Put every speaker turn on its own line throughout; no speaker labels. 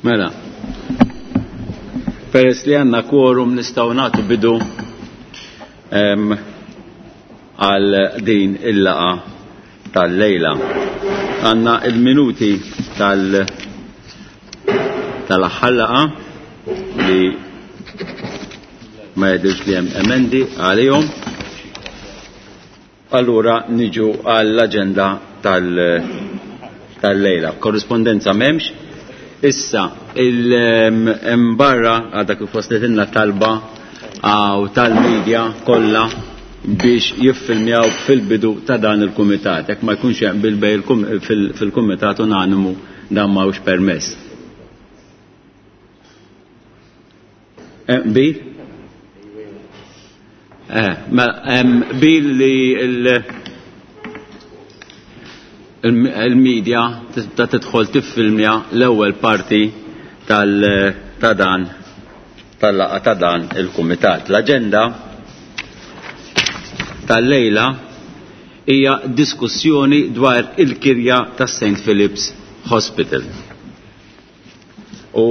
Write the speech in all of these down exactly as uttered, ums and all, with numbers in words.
Mela, peress li għandna quorum nistgħu nagħtu bidu għal din il-laqa tal-lejla. Għandna il-minuti tal- tal-aħħar laqa li ma jidhirx li hemm emendi għalihom. Allura niġu għall-aġenda tal-lejla. Korrispondenza m'hemmx. Issa, il-barra għadha kif waslitilna talba għaw tal-medja kollha biex jiffilmjaw fil-bidu ta' dan il-kumitat. Jekk ma jkunx hemm bil-bej fil-kumitat unanimu dan ma hux permess. Bil? Eh, bil li il-medja ta' tidħol tiffilmja l-ewwel parti ta' dan tal-laqgħa ta' dan il-kumitat. L-aġenda tal-lejla hija diskussjoni dwar il-kirja ta' Saint Philip's Hospital. U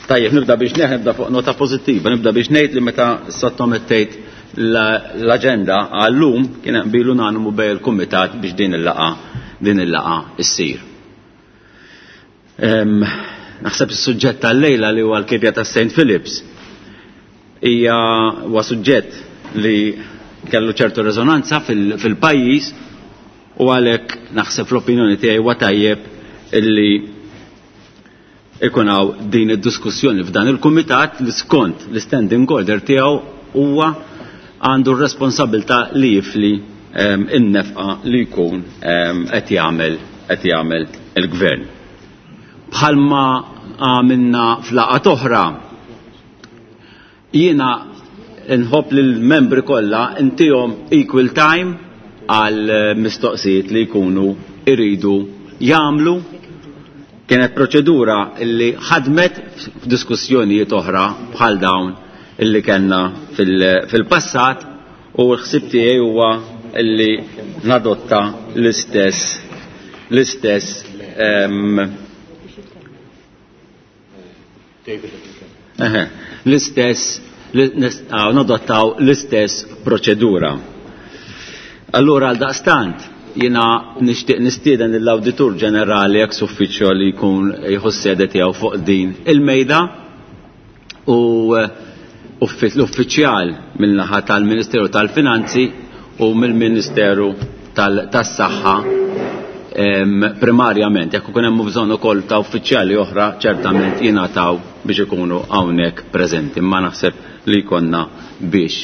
tajjeb nibda biex nibda fuq nota pożittiva, nibda biex ngħid li meta sottomettejt l-aġenda għallum kien hemm bilu unanimu bej il-kumitat biex din il-laqgħa din il-laqgħa issir. Naħseb is-suġġett tal-lejla li huwa l-kirja ta' Saint Philip's hija huwa suġġett li kellu ċertu rezonanza fil-pajjiż u għalhekk naħseb l-opinjoni tiegħi huwa tajjeb illi ikun hawn din id-diskussjoni f'dan il-kumitat li skont l-standing order tiegħu huwa għandu r-responsabilità li jifli in-nefqa li jkun qed jagħmel qed jagħmel il-gvern. Bħalma għamilna f'laqgħat oħra, jiena nħobb lill membri kollha intihom equal time għal mistoqsijiet li jkunu iridu jagħmlu. Kienet proċedura li ħadmet f'diskussjonijiet oħra bħal dawn illi kellna fil-passat u l-ħsieb tiegħi huwa illi nadotta l-istess l-istess l-istess nadottaw l-istess proċedura. Allura għal daqstant jiena nixtieq nistieden lill-Awditur Ġenerali ex uffiċjo li jkun jieħu s-sede tiegħu fuq din il-mejda u l-uffiċjal mill-naħa tal-Ministeru tal-Finanzi u mill-Ministeru tas-Saħħa primarjament. Jekk ikun hemm bżonn ukoll ta' uffiċjali oħra ċertament jingħataw biex ikunu hawnhekk preżenti, imma naħseb li jkollna biex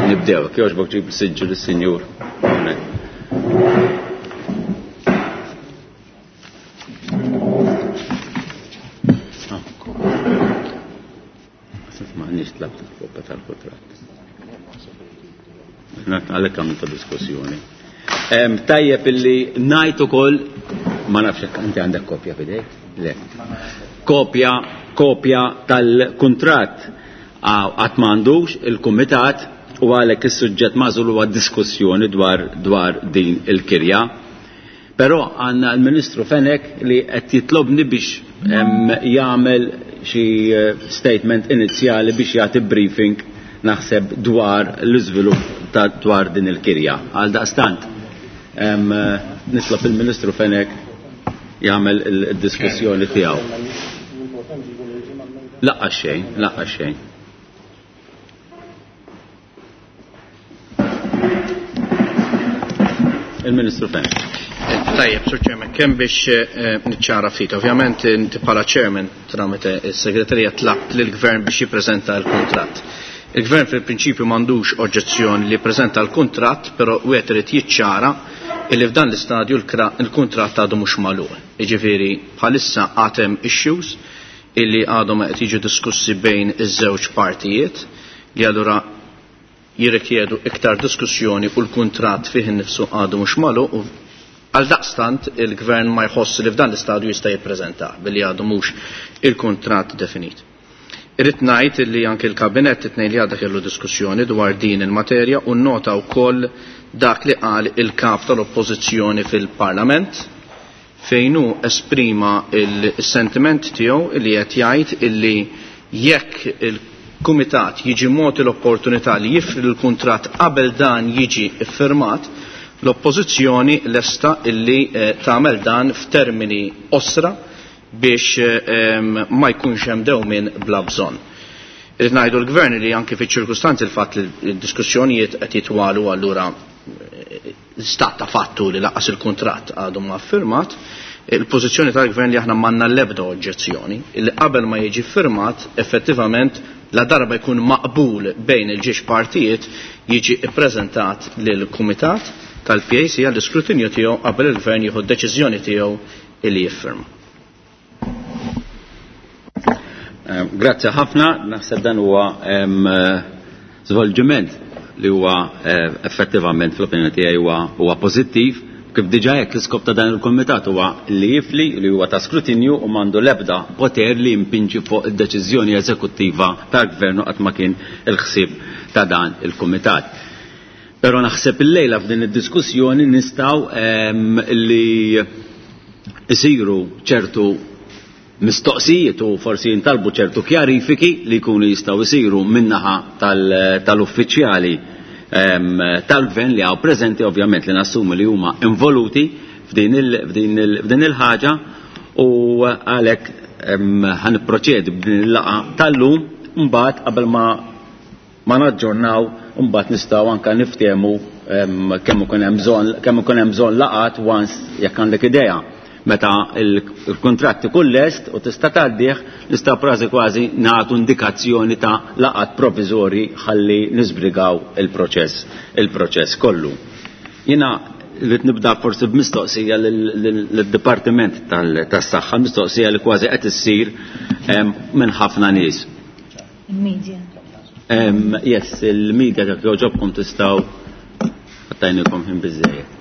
nibdew. Jogħġbok ġib siġġu lis-sinjur hawnhekk. M'għandniex tlab tal-kopja tal-kuntratt. Għalhekk għamilta diskussjoni. Tajjeb illi ngħid ukoll, ma nafx jekk inti għandek kopja f'idejk? Le. Kopja, kopja tal-kuntratt qatt m'għandux il-kumitat u għalhekk is-suġġett magħżul huwa diskussjoni dwar dwar din il-kirja. Però għandna l-Ministru Fenech li qed jitlobni biex jagħmel xi statement inizjali biex jagħti briefing naħseb dwar l-iżvilupp ta' dwar din il-kirja. Għal daqstant nitlob il-Ministru Fenech jagħmel il-diskussjoni tiegħu. Laqqa xejn, laqqa xejn. Il-Ministru Fenech.
Tajjeb, Sur Chairman, kemm biex niċċara ftit. Ovvjament inti bħala Chairman tramite s-Segretarija tlabt lill-Gvern biex jippreżenta l-kuntratt. Il-Gvern fil-prinċipju m'għandux oġġezzjoni li jippreżenta l-kuntratt, però wieħed irid jiċċara illi f'dan l-istadju l-kuntratt għadu mhux magħluq. Jiġifieri bħalissa għad hemm issues illi għadhom qed jiġu diskussi bejn iż-żewġ partijiet li allura jirrikjedu iktar diskussjoni u l-kuntratt fih innifsu għadu mhux magħluq u għal daqstant il-gvern ma jħoss li f'dan l-istadju jista' jippreżenta billi għadu mhux il-kuntratt definit. Irrid ngħid li anke l-kabinett it-tnejn li għadha kellu diskussjoni dwar din il-materja u nnota wkoll dak li qal il-kap tal-oppożizzjoni fil-Parlament fejn hu esprima il-sentiment tiegħu li qed jgħid illi jekk il-Kumitat jiġi mogħti l-opportunità li jifri l-kuntratt qabel dan jiġi iffirmat, l-oppożizzjoni lesta illi tagħmel dan f'termini osra biex ma jkunx hemm dewmien bla bżonn. Irrid ngħidu l-Gvern li anke fiċ-ċirkustanzi l-fatt li d-diskussjonijiet qed jitwalu allura stat ta' fattu li laqas il-kuntratt għadu ma firmat, il-pożizzjoni tal-Gvern li aħna m'għandna l-ebda oġġezzjoni li qabel ma jiġi firmat effettivament la darba jkun maqbul bejn il-ġiex partijiet jiġi ppreżentat lill-Kumitat tal-P A C għall-iskrutinju tiegħu qabel il-Gvern jieħu d-deċiżjoni tiegħu li jiffirma.
Grazzi ħafna, naħseb dan huwa żvolġiment li huwa effettivament fl-opinjoni tiegħi huwa huwa pożittiv. Kif diġà hekk l-iskop ta' dan il-kumitat huwa li jifli li huwa ta' skrutinju u m'għandu l-ebda poter li jimpinġi fuq id-deċiżjoni eżekuttiva tal-gvern qatt ma kien il-ħsieb ta' dan il-kumitat. Però naħseb illejla f'din id-diskussjoni nistgħu li isiru ċertu mistoqsijiet u forsi jintalbu ċertu kjarifiki li jkunu jistgħu jsiru min-naħa tal-uffiċjali tal-gvern li għaw preżenti, ovvjament li nassumu li huma involuti f'din il-ħaġa, u għalhekk ħanipproċedi b'din il-laqgħa tal-lum, mbagħad qabel ma ma naġġornaw mbagħad nistgħu anke niftehmu kemm ikun hemm bżonn kemm ikun hemm bżonn laqgħat once jekk għandek idea meta il-kuntratt ikun lest u tista' tgħaddih, nista' kważi kważi nagħtu indikazzjoni ta' laqgħat provviżorji ħalli niżbrigaw il-proċess il-proċess kollu. Jiena rrid nibda forsi b'mistoqsija lid-Dipartiment tas-Saħħa, mistoqsija li kważi qed issir minn ħafna nies.
Il-media.
Yes, il-media jekk jogħġobkom tistgħu għattajnikom ħin biżżejjed.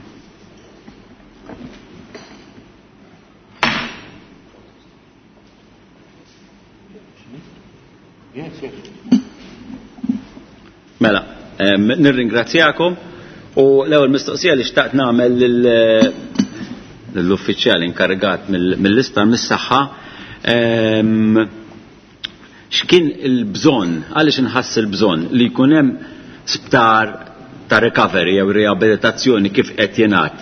Mela, nirringrazzjakom u l-ewwel mistoqsija li xtaqt nagħmel lill-uffiċjal inkarigat mill-isptar mis-saħħa, x'kien il-bżonn, għaliex inħass il-bżonn li jkun hemm sptar ta' recovery jew riabilitazzjoni kif qed jingħad.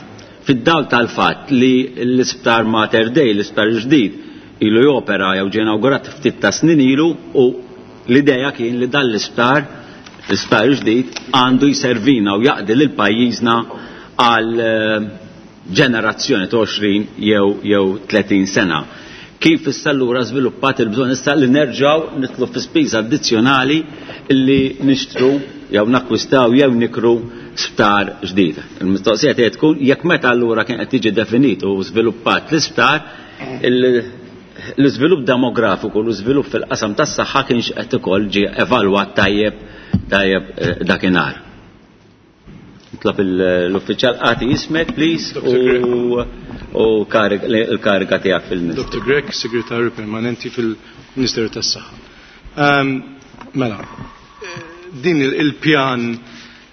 Fid-dawl tal-fatt li l-isptar Mater Dei, l-isptar ġdid, ilu jopera jew ġie inawgurat ftit ta' snin ilu, u l-idea kien li dan l-isptar, l-isptar ġdid, għandu jservina u jaqdi lil pajjiżna għal ġenerazzjoni ta' għoxrin jew jew tletin sena. Kif issa allura żviluppat il-bżonn issa li nerġgħu nitlu fi spiża addizzjonali li nixtru jew nakkwistaw jew nikru sptar ġdid. Il-mistoqsija tiegħi tkun jekk meta allura kien qed jiġi definit u żviluppat l-isptar, l-iżvilupp demografiku, l-iżvilupp fil-qasam tas-saħħa kienx qed ukoll ġie evalwat tajjeb tajjeb dakinhar. Nitlob l-uffiċjal għati ismek, please, u l-kariga tiegħek fil-Ministeru.
Doctor Grech, Segretarju Permanenti fil-Ministeru tas-Saħħa. Mela, din il-pjan,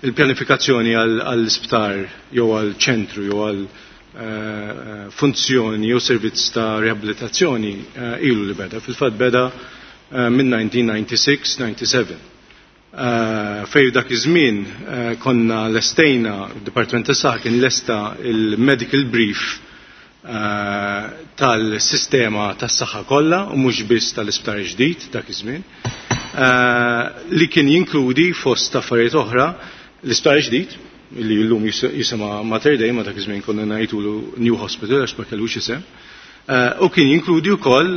il-pjanifikazzjoni għall-isptar jew għall-ċentru jew għall funzjoni jew servizz ta' riabilitazzjoni ilu li beda. Fil-fatt beda minn nineteen ninety-six ninety-seven. Fej dak iż-żmien konna lestejna, il-Dipartiment tas-Saħħa kien lesta il-medical brief tal-sistema tas-saħħa kollha u mhux biss tal-isptar ġdid dak iż-żmien, li kien jinkludi fost affarijiet oħra l-isptar ġdid li llum jisimha Mater Dei, ma dak iż-żmien konna ngħidulu New Hospital għax ma kellux isem, u kien jinkludi wkoll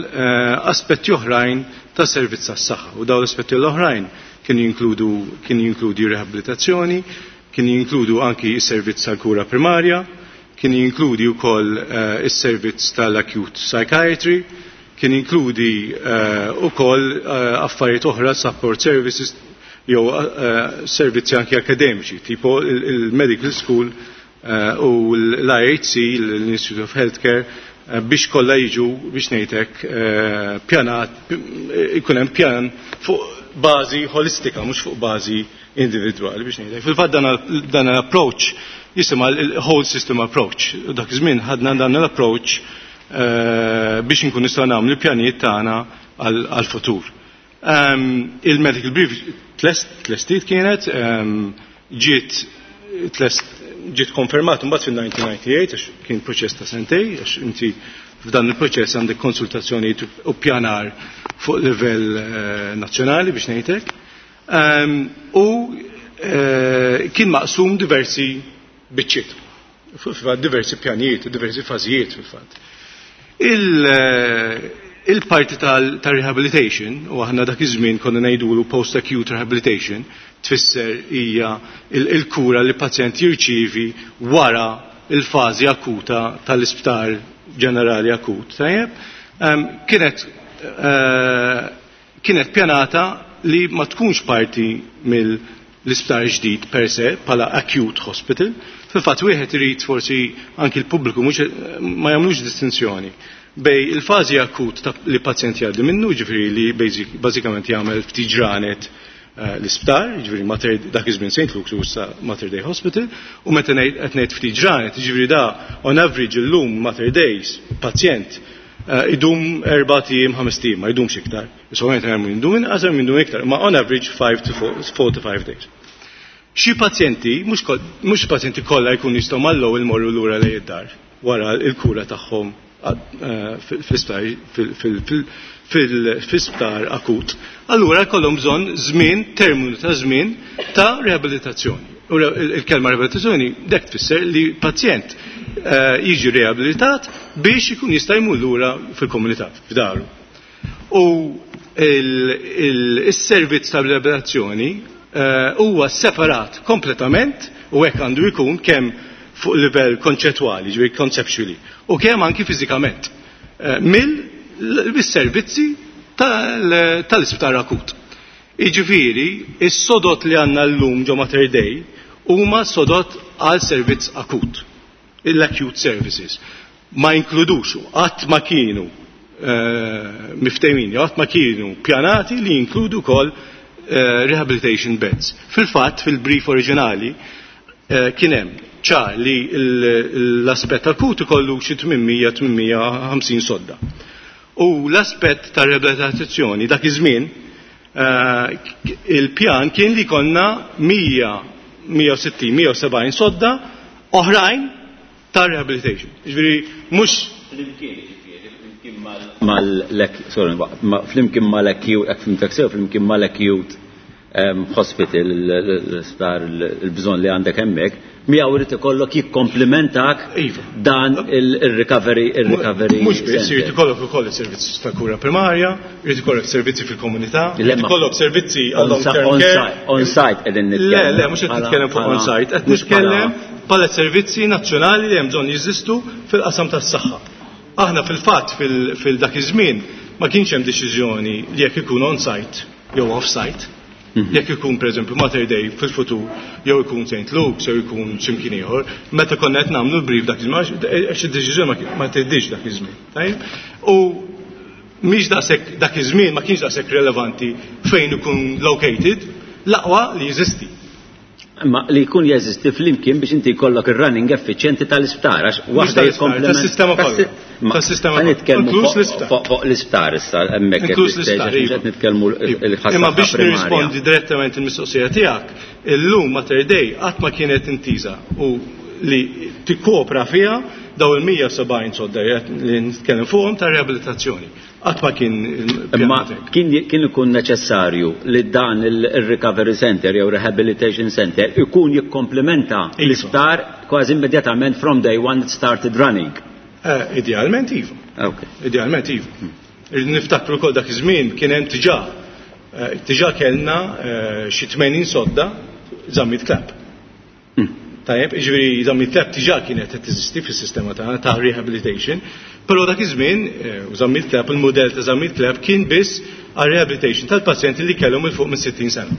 aspetti oħrajn ta' servizz tas-saħħa, u dawn l-aspetti l-oħrajn kien jinkludu kien jinkludi rehabilitazzjoni, kien jinkludu anki s-servizz tal-kura primarja, kien jinkludi wkoll is-servizz tal-acute psychiatry, kien jinkludi wkoll affarijiet oħra, support services jew servizzi anki akademiċi, tipo il-medical school u l-I H C, l-Institute of Healthcare, biex kollha jiġu biex ngħidlek pjanat, ikun hemm pjan fuq bażi holistika, mhux fuq bażi individwali biex ngħidlek. Fil-fatt dan l-approach jisimha l-whole system approach. Dak iż-żmien ħadna dan l-approach biex nkun nistgħu nagħmlu pjanijiet tagħna għal-futur. Il-medical brief tlestiet kienet, ġiet ġiet konfermat mbagħad fil-nineteen ninety-eight, għax kien proċess ta' sentej, għax inti f'dan il-proċess għandek konsultazzjonijiet u pjanar fuq livell nazzjonali biex ngħidlek. U kien maqsum diversi biċċiet, diversi pjanijiet, diversi fażijiet fil-fatt. Il-parti tal-rehabilitation, u aħna dak iż-żmien konna ngħidulu post-acute rehabilitation, tfisser hija il-kura li pazjent jirċievi wara il-fażi akuta tal-isptar ġenerali akut. Tajjeb, kienet kienet pjanata li ma tkunx parti mill-isptar ġdid per se bħala acute hospital. Fil-fatt wieħed irid forsi anki l-pubbliku mhux ma jagħmlux distinzjoni bej il-fażi akut li pazjent jgħaddi minnu, ġifieri li bażikament jagħmel ftit ġranet l-isptar, ġifieri Mater dak iż-żmien Saint Luke's u issa Mater Dei Hospital, u meta qed ngħid ftit ġranet, ġifieri da on average illum Mater Days pazjent idum erba' ijiem, ħames ijiem, ma jdumx iktar. Ovvjament hemm min idum inqas, hemm min idum iktar, ma on average five to four to five days. Xi pazjenti, mhux pazjenti kollha jkunu jistgħu mal-ewwel imorru lura lejn id-dar wara l-kura tagħhom fl-isptar fil-isptar akut. Allura jkollhom bżonn żmien, terminu ta' żmien ta' rehabilitazzjoni. U il-kelma rehabilitazzjoni dek tfisser li pazjent jiġi rehabilitat biex ikun jista' jmur lura fil-komunità, f'daru. U il-servizz ta' rehabilitazzjoni huwa separat kompletament, u hekk għandu jkun kemm fuq livell konċettwali, ġifieri conceptually, u kemm anki fiżikament mill-servizzi tal-isptar akut. Jiġifieri, is-sodot li għandna llum ġo Mater Dei huma sodot għal servizz akut, l-acute services. Ma inkludux, qatt ma kienu miftehmin, qatt ma kienu pjanati li jinkludu wkoll rehabilitation beds. Fil-fatt, fil-brief oriġinali, kien hemm ċar li l-aspett akut ikollu xi tmien mija tmien mija u ħamsin sodda. U l-aspett ta' rehabilitazzjoni dak iż-żmien il-pjan kien li konna mija, mija u sittin, mija u sebgħin sodda oħrajn ta' rehabilitation. Ġifieri mhux
flimkien, ġifieri, flimkien mal-lek, sorry, flimkien mal-acute, hekk fimtek sew, flimkien mal-acute hospital, l-isptar, il-bżonn li għandek hemmhekk, miegħu irid ikollok jikkomplimentak dan il-recovery, il-recovery.
Mhux biss, irid ikollok ukoll is-servizzi ta' kura primarja, irid ikollok servizzi fil-komunità, irid ikollok servizzi għal long term care.
On site qegħdin nitkellem.
Le, le, mhux qed nitkellem fuq on site, qed nitkellem bħala servizzi nazzjonali li hemm bżonn jeżistu fil-qasam tas-saħħa. Aħna fil-fatt fil-dak iż-żmien ma kienx hemm deċiżjoni li jekk ikun on site jew off site. Jekk ikun pereżempju Mater Dei fil-futur, jew ikun Saint Luke's, jew ikun x'imkien ieħor, meta konna qed nagħmlu l-brief dak iż-żmien, għax id-deċiżjoni ma tgħiddix dak iż-żmien. Tajjeb? U mhix daqshekk dak iż-żmien ma kienx daqshekk relevanti fejn ikun located, l-aqwa li jeżisti.
Ma li jkun jeżisti flimkien biex inti jkollok ir-running effiċjenti tal-isptar, għax waħda
Mhux tal-isptar, tas-sistema kollha. Tas-sistema
kollha. Nitkellmu
Inkluż
fuq
l-isptar.
fuq l-isptar issa, hemmhekk qed
Inkluż l-isptar,
qed
iva.
nitkellmu l-ħassab
Imma biex
primarja.
nirrispondi direttament il-mistoqsija tiegħek, illum Mater Dei qatt ma kienet intiża u li tikkopra fiha daw il-mija u sebgħin sodda li nitkellem fuqhom ta' rehabilitazzjoni. Qatt ma kien il-pjan
Imma
tiegħek.
kien, kien ikun neċessarju li dan il-recovery center jew rehabilitation center ikun jikkomplementa
Iva.
l-isptar kważi immedjatament from day one it started running.
Eh, idealment iva.
Okay.
Idealment iva. Niftakru wkoll dak iż-żmien kien hemm diġà, eh, diġà kellna, eh, xi tmenin sodda Zammit Clapp.
Hmm.
Tajjeb, jiġifieri Zammit Clapp diġà kienet qed teżisti fis-sistema tagħna ta' rehabilitation, però dak iż-żmien, eh, u Zammit Clapp, il-mudell ta' Zammit Clapp kien biss għal rehabilitation tal-pazjenti li kellhom il fuq minn sittin sena.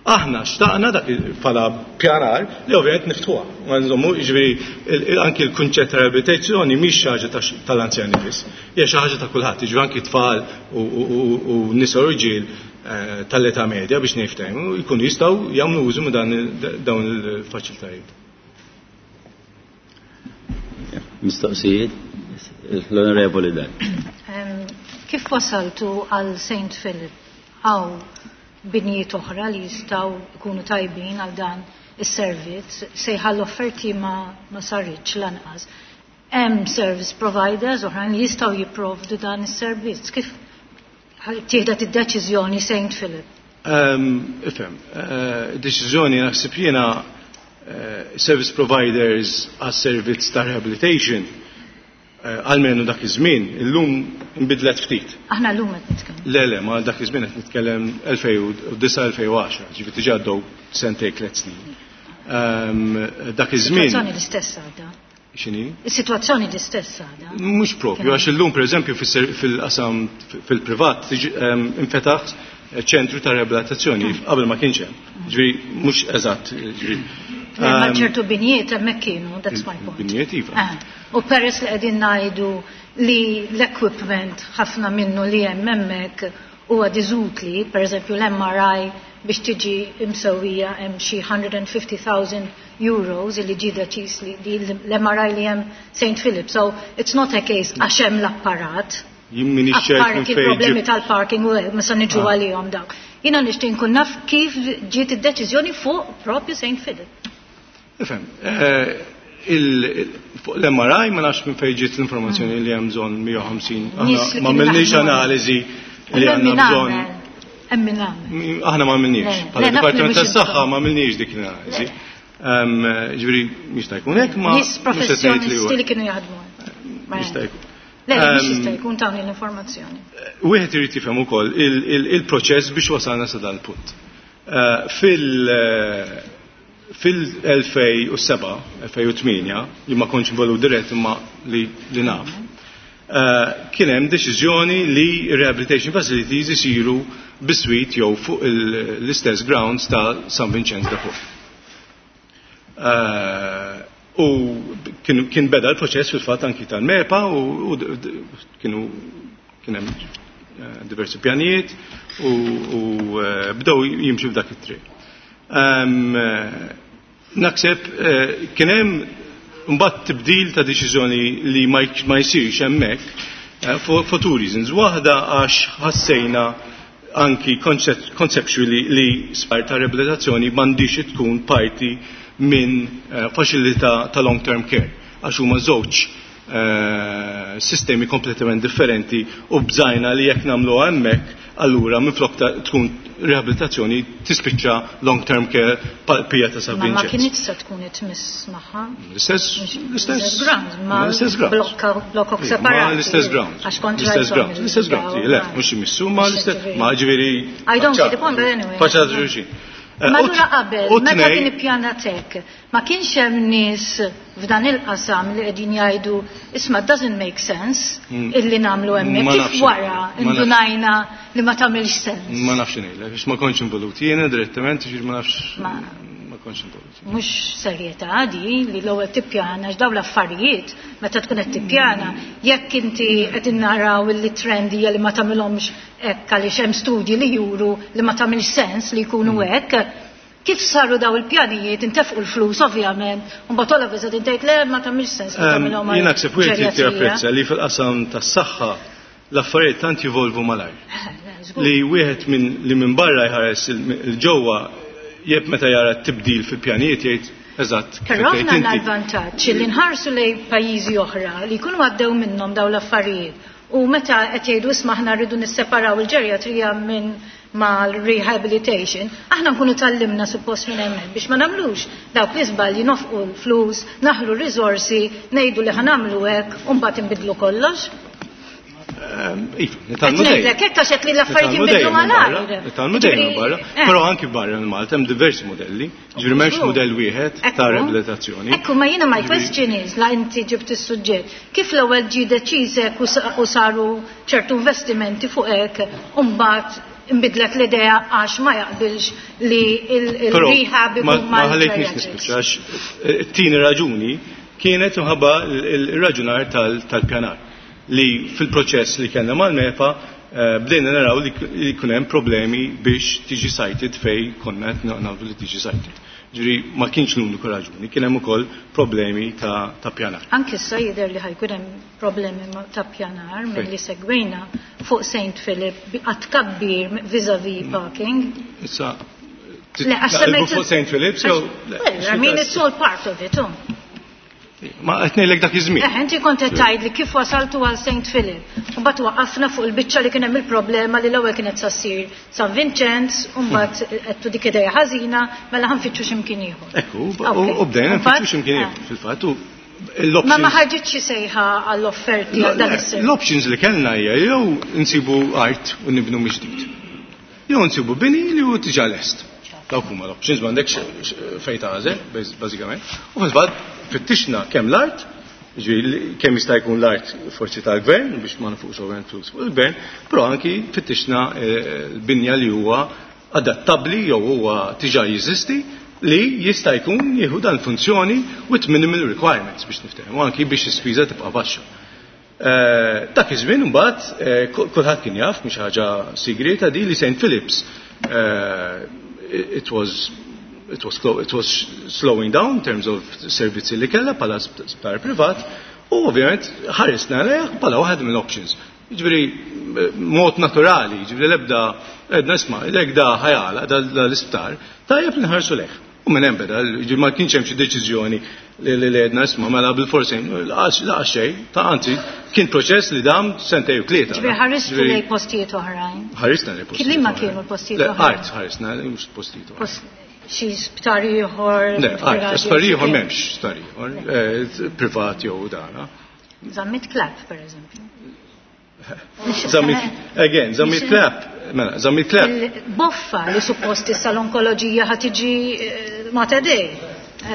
Aħna xtaqna dak bħala pjanar li ovvjament niftħuha. Ma nżommu, jiġifieri, il-, il-, anki l-kunċett ta' rehabilitazzjoni mhix xi ħaġa ta' x-, tal-anzjani biss, hija xi ħaġa ta' kulħadd, jiġifieri anki tfal u, u, u, u nisa u rġiel, eh, tal-età medja biex niftehmu jkunu jistgħu jagħmlu użu minn dan il-, dawn il-faċilitajiet.
Mistoqsijiet? L-Onorevoli Dan.
Kif wasaltu għal Saint Philip? Għaw binjiet oħra li jistgħu jkunu tajbin għal dan is-servizz, sejħa l-offerti ma, ma saritx lanqas. Hemm service providers oħrajn li jistgħu jipprovdu dan is-servizz. Kif tieħdet id-deċiżjoni Saint Philip?
Um, ifhem, uh, deċiżjoni naħseb jiena uh, service providers għas servizz ta' rehabilitation għalmenu dak iż-żmien, illum inbidlet ftit.
Aħna llum qed nitkellem.
Le, le, ma dak iż-żmien qed nitkellem elfejn u disgħa elfejn u għaxra, ġifieri diġà għaddew sentejn tliet snin. Dak iż-żmien.
Is-sitwazzjoni l-istess għadha.
X'inhi?
Is-sitwazzjoni l-istess għadha.
Mhux propju, għax illum pereżempju fil-qasam fil-privat infetaħ ċentru ta' riabilitazzjoni qabel ma kienx hemm. Ġifieri mhux eżatt, ġifieri.
Ma ċertu binjiet hemmhekk kienu, that's my point.
Binjiet iva.
U peress li qegħdin ngħidu li l-equipment ħafna minnu li hemm hemmhekk huwa diżutli, pereżempju l-M R I biex tiġi imsewwija hemm xi hundred and fifty thousand euros li ġie deċiż li l-M R I li hemm Saint Philip. So it's not a case għax hemm l-apparat.
Jien m'iniex ċert minn fejn
problemi
ġib-
tal-parking u hekk, ma se niġu għalihom dawk. Jiena nixtieq nkun naf kif ġiet id-deċiżjoni fuq propju Saint Philip.
Ifhem, fuq l-M R I ma nafx minn fejn ġiet l-informazzjoni li hemm bżonn mija u ħamsin. Aħna ma għamilniex analiżi li għandna bżonn.
Hemm min għamel.
Aħna ma għamilniex. Bħala Dipartiment tas-Saħħa ma għamilniex dik l-analiżi. Ġifieri jista' jkun hekk ma
Nies professjonisti li kienu jaħdmu.
Jista' jkun.
Le, mhux jista' jkun tawni l-informazzjoni.
Wieħed irid jifhem ukoll il-proċess biex wasalna sa dan il-punt. Fil fil-elfejn u seba', elfejn u tmienja, li ma kontx involut dirett imma li, li naf, uh, kien hemm deċiżjoni li rehabilitation facilities isiru biswit jew fuq l-istess grounds ta' San Vincenz de Paul. Uh, u kien, kien beda l-proċess fil-fatt anki tal-MEPA u, u kienu kien hemm diversi pjanijiet u, u bdew jimxu f'dak it-triq. Um, Naħseb kien hemm mbagħad tibdil ta' deċiżjoni li ma jsirx hemmhekk for, for two reasons. Waħda għax ħassejna anki conceptually li spar ta' riabilitazzjoni m'għandix tkun parti minn faċilità ta' long term care għax huma żewġ sistemi kompletament differenti u bżajna li jekk nagħmlu hemmhekk allura minflok tkun riabilitazzjoni tispiċċa long term care pija ta' San Vincenz.
Ma kienx se tkun itmiss magħha.
L-istess l-istess
ground, ma
l-istess ground.
Blokok separati.
Ma l-istess ground.
Għax kontra
l-istess ground. L-istess ground. Le, mhux imissu ma l-istess ma ġifieri.
I don't see the point, but anyway.
Faċa xulxin.
Ma allura qabel, meta kien ippjanat hekk, ma kienx hemm nies f'dan il-qasam li qegħdin jgħidu isma' doesn't make sense illi nagħmlu hemmhekk, kif wara indunajna li ma tagħmilx sens.
Ma nafx ngħidlek, għax ma kontx involut jiena direttament, ġifieri ma nafx ma kontx involut.
Mhux serjetà di li l-ewwel tippjana għax dawn l-affarijiet meta tkun qed tippjana, jekk inti qed naraw li trend hija li ma tagħmilhomx hekk għaliex hemm studji li juru li ma tagħmilx sens li jkunu hekk, kif saru daw il-pjanijiet, intefqu l-flus ovvjament, u mbagħad all of a sudden tgħid le ma tagħmilx sens li tagħmilhom.
Jien naħseb wieħed irid japprezza li fil-qasam tas-saħħa l-affarijiet tant jivolvu malajr. Li wieħed minn li minn barra jħares il-ġewwa jeb meta jara t-tibdil fil-pjanijiet jgħid eżatt.
Però aħna għandna l-vantaġġ li nħarsu lejn pajjiżi oħra li jkunu għaddew minnhom dawn l-affarijiet. U meta qed jgħidu isma' aħna rridu nisseparaw il-ġerjatrija minn mal-rehabilitation, aħna nkunu tallimna suppost minn hemmhekk biex ma nagħmlux dawk l-iżbalji, nofqu l-flus, naħlu r-riżorsi, ngħidu li ħanamlu hekk u mbagħad inbidlu kollox.
Iva, nitalmu dejjem.
Qed ngħidlek hekk għax qed li l-affarijiet jinbidlu malajr.
Nitalmu dejjem barra, però anki barra minn Malta hemm diversi modelli, ġifieri m'hemmx mudell wieħed ta' riabilitazzjoni.
Ekku, ma jiena my question is, la inti ġibt is-suġġett, kif l-ewwel ġie deċiż hekk u saru ċertu investimenti fuq hekk u mbagħad imbidlet l-idea għax ma jaqbilx li il-rehab ikun
ma ħallejtniex nispiċċa għax it-tieni raġuni kienet imħabba il-raġunar tal-pjanar li fil-proċess li kellna mal-MEPA bdejna naraw li jkun hemm problemi biex tiġi cited fej konna qed nagħmlu li tiġi cited. Ġifieri ma kienx l-uniku raġuni, kien hemm ukoll problemi ta', ta' pjanar.
Anki issa jidher li ħa jkun hemm problemi ta' pjanar milli segwejna fuq Saint Philip għat tkabbir vis-a-vis parking.
Issa, fuq Saint Philip, so...
Well, I mean, it's all part of it, oh.
Ma qed ngħidlek dak iż-żmien.
Eh, inti kont qed tgħidli kif wasaltu għal Saint Philip. U mbagħad waqafna fuq il-biċċa li kien hemm il-problema li l-ewwel kienet sa ssir San Vincenz, u mbagħad qedtu dik idea ħażina, mela ħa nfittxu x'imkien ieħor.
Ekku, u bdejna nfittxu x'imkien ieħor fil-fatt.
Ma ma ħarġitx xi sejħa għall-offerti għal dan is-servizz.
L-options li kellna hija jew insibu art u nibnu mill-ġdid. Jew nsibu bini li hu diġà lest. Dawk huma l-options, m'għandekx fejn tagħżel bażikament. U fil-fatt fittixna kemm l-art, kemm jista' jkun l-art forsi tal-gvern biex ma nfux ovvjament flus fuq il-gvern, però anki fittixna l-binja li huwa adattabbli jew huwa diġà jeżisti li jista' jkun jieħu dan funzjoni with minimal requirements biex niftehmu, anki biex l-ispiża tibqa' baxxa. Dak iż-żmien imbagħad kulħadd kien jaf, mhix ħaġa sigreta di li Saint Philips it was it was it was slowing down in terms of servizzi li kellha bħala sptar privat u ovvjament ħarisna lejh bħala waħed mill-options. Jiġifieri mod naturali, jiġifieri l-ebda għedna isma' jekk da ħa jagħlaq da l-isptar, tajjeb li nħarsu lejh. U minn hemm beda, jiġifieri ma kienx hemm xi deċiżjoni li għedna isma' mela bil-forsi laqa xejn, ta' anzi kien proċess li dam sentejn u tlieta.
Ġifieri ħaristu lejn postijiet oħrajn.
Ħarisna lejn postijiet.
Liema kienu l-postijiet oħrajn?
Art ħarisna, mhux postijiet oħrajn.
Xi sptar ieħor?
Le, art, sptar ieħor m'hemmx sptar ieħor, privat jew dana.
Zammit Clapp, per eżempju.
Zammit, again, Zammit Clapp, mela, Zammit Clapp.
Boffa li suppost issa l-onkoloġija ħa tiġi Mater Dei.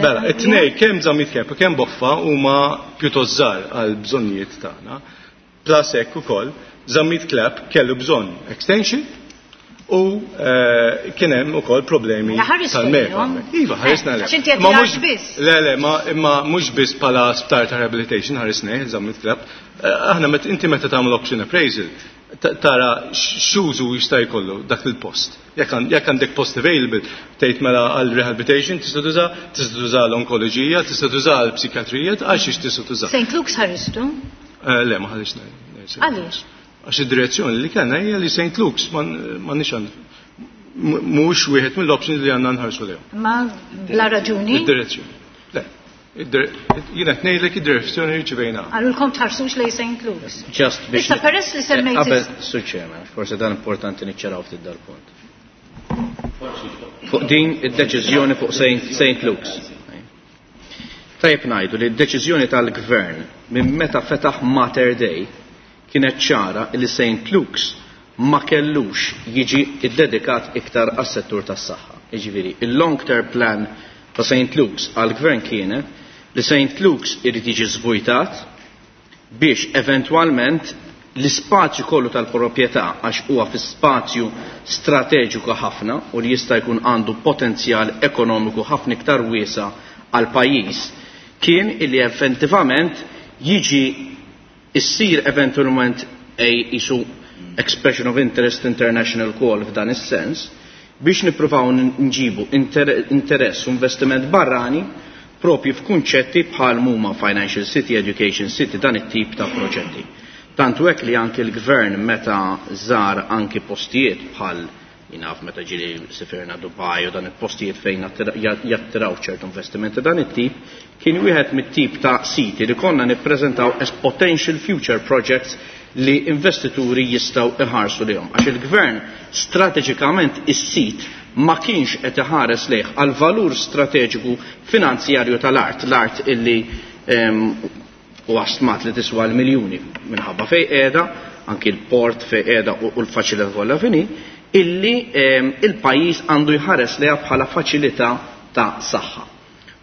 Mela, it-tnej kemm Zammit Clapp u kemm Boffa huma pjuttost żgħar għal bżonnijiet tagħna. Plus hekk ukoll, Zammit Clapp kellu bżonn extension u kien hemm ukoll problemi tal-MEPA. Iva, ħarisna
le. Ma mhux biss.
Le, le, ma mhux biss bħala sptar ta' rehabilitation ħarisna, Zammit Clapp. Aħna inti meta tagħmel option appraisal, tara x'użu jista' jkollu dak il-post. Jekk għandek post available, tgħid mela għal rehabilitation tista' tuża, tista' tuża l-onkoloġija, tista' tuża l-psikjatrija, għal xiex tista' tuża.
Saint Luke's ħaristu?
Le, ma ħarisna.
Għaliex?
Għax id-direzzjoni li kellna hija li Saint Luke's m'għandniex mhux wieħed mill-options li għandna nħarsu lejhom.
Ma bla raġuni?
Id-direzzjoni. Le. Jiena qed ngħidlek id-direzzjoni li rċivejna.
Għalulkom tħarsux lejn Saint Luke's.
Just biex.
Issa peress li semmejt.
Qabel, Sur Chairman, forse dan importanti niċċaraw ftit dal-punt. Fuq din id-deċiżjoni fuq Saint Luke's. Tajjeb ngħidu li d-deċiżjoni tal-gvern minn meta fetaħ Mater Dei kienet ċara li Saint Luke's ma kellux jiġi iddedikat iktar għas-settur tas-saħħa. Jiġifieri, il-long term plan ta' Saint Luke's għall-gvern kienet li Saint Luke's irid jiġi żvujtat biex eventwalment l-ispazju kollu tal-proprjetà, għax huwa fi spazju strateġiku ħafna u li jista' jkun għandu potenzjal ekonomiku ħafna iktar wiesa għal pajjiż, kien illi effettivament jiġi issir eventualment a isu expression of interest international call f'dan is-sens biex nippruvaw nġibu interess u investiment barrani propju f'kunċetti bħal huma Financial City, Education City, dan it-tip ta' proġetti. Tantu hekk li anki l-gvern meta żar anki postijiet bħal jinaf meta ġili sifirna Dubai u dan il-postijiet fejn jattiraw ċertu investimenti dan it-tip, kien wieħed mit-tip ta' siti li konna nippreżentaw as potential future projects li investituri jistgħu iħarsu lihom. Għax il-gvern strateġikament is-sit ma kienx qed iħares lejh għal valur strateġiku finanzjarju tal-art, l-art illi u stmat li tiswa l-miljuni minħabba fej qiegħda, anki l-port fej qiegħda u l-faċilità kollha fini, illi il-pajjiż għandu jħares lejha bħala faċilità ta' saħħa.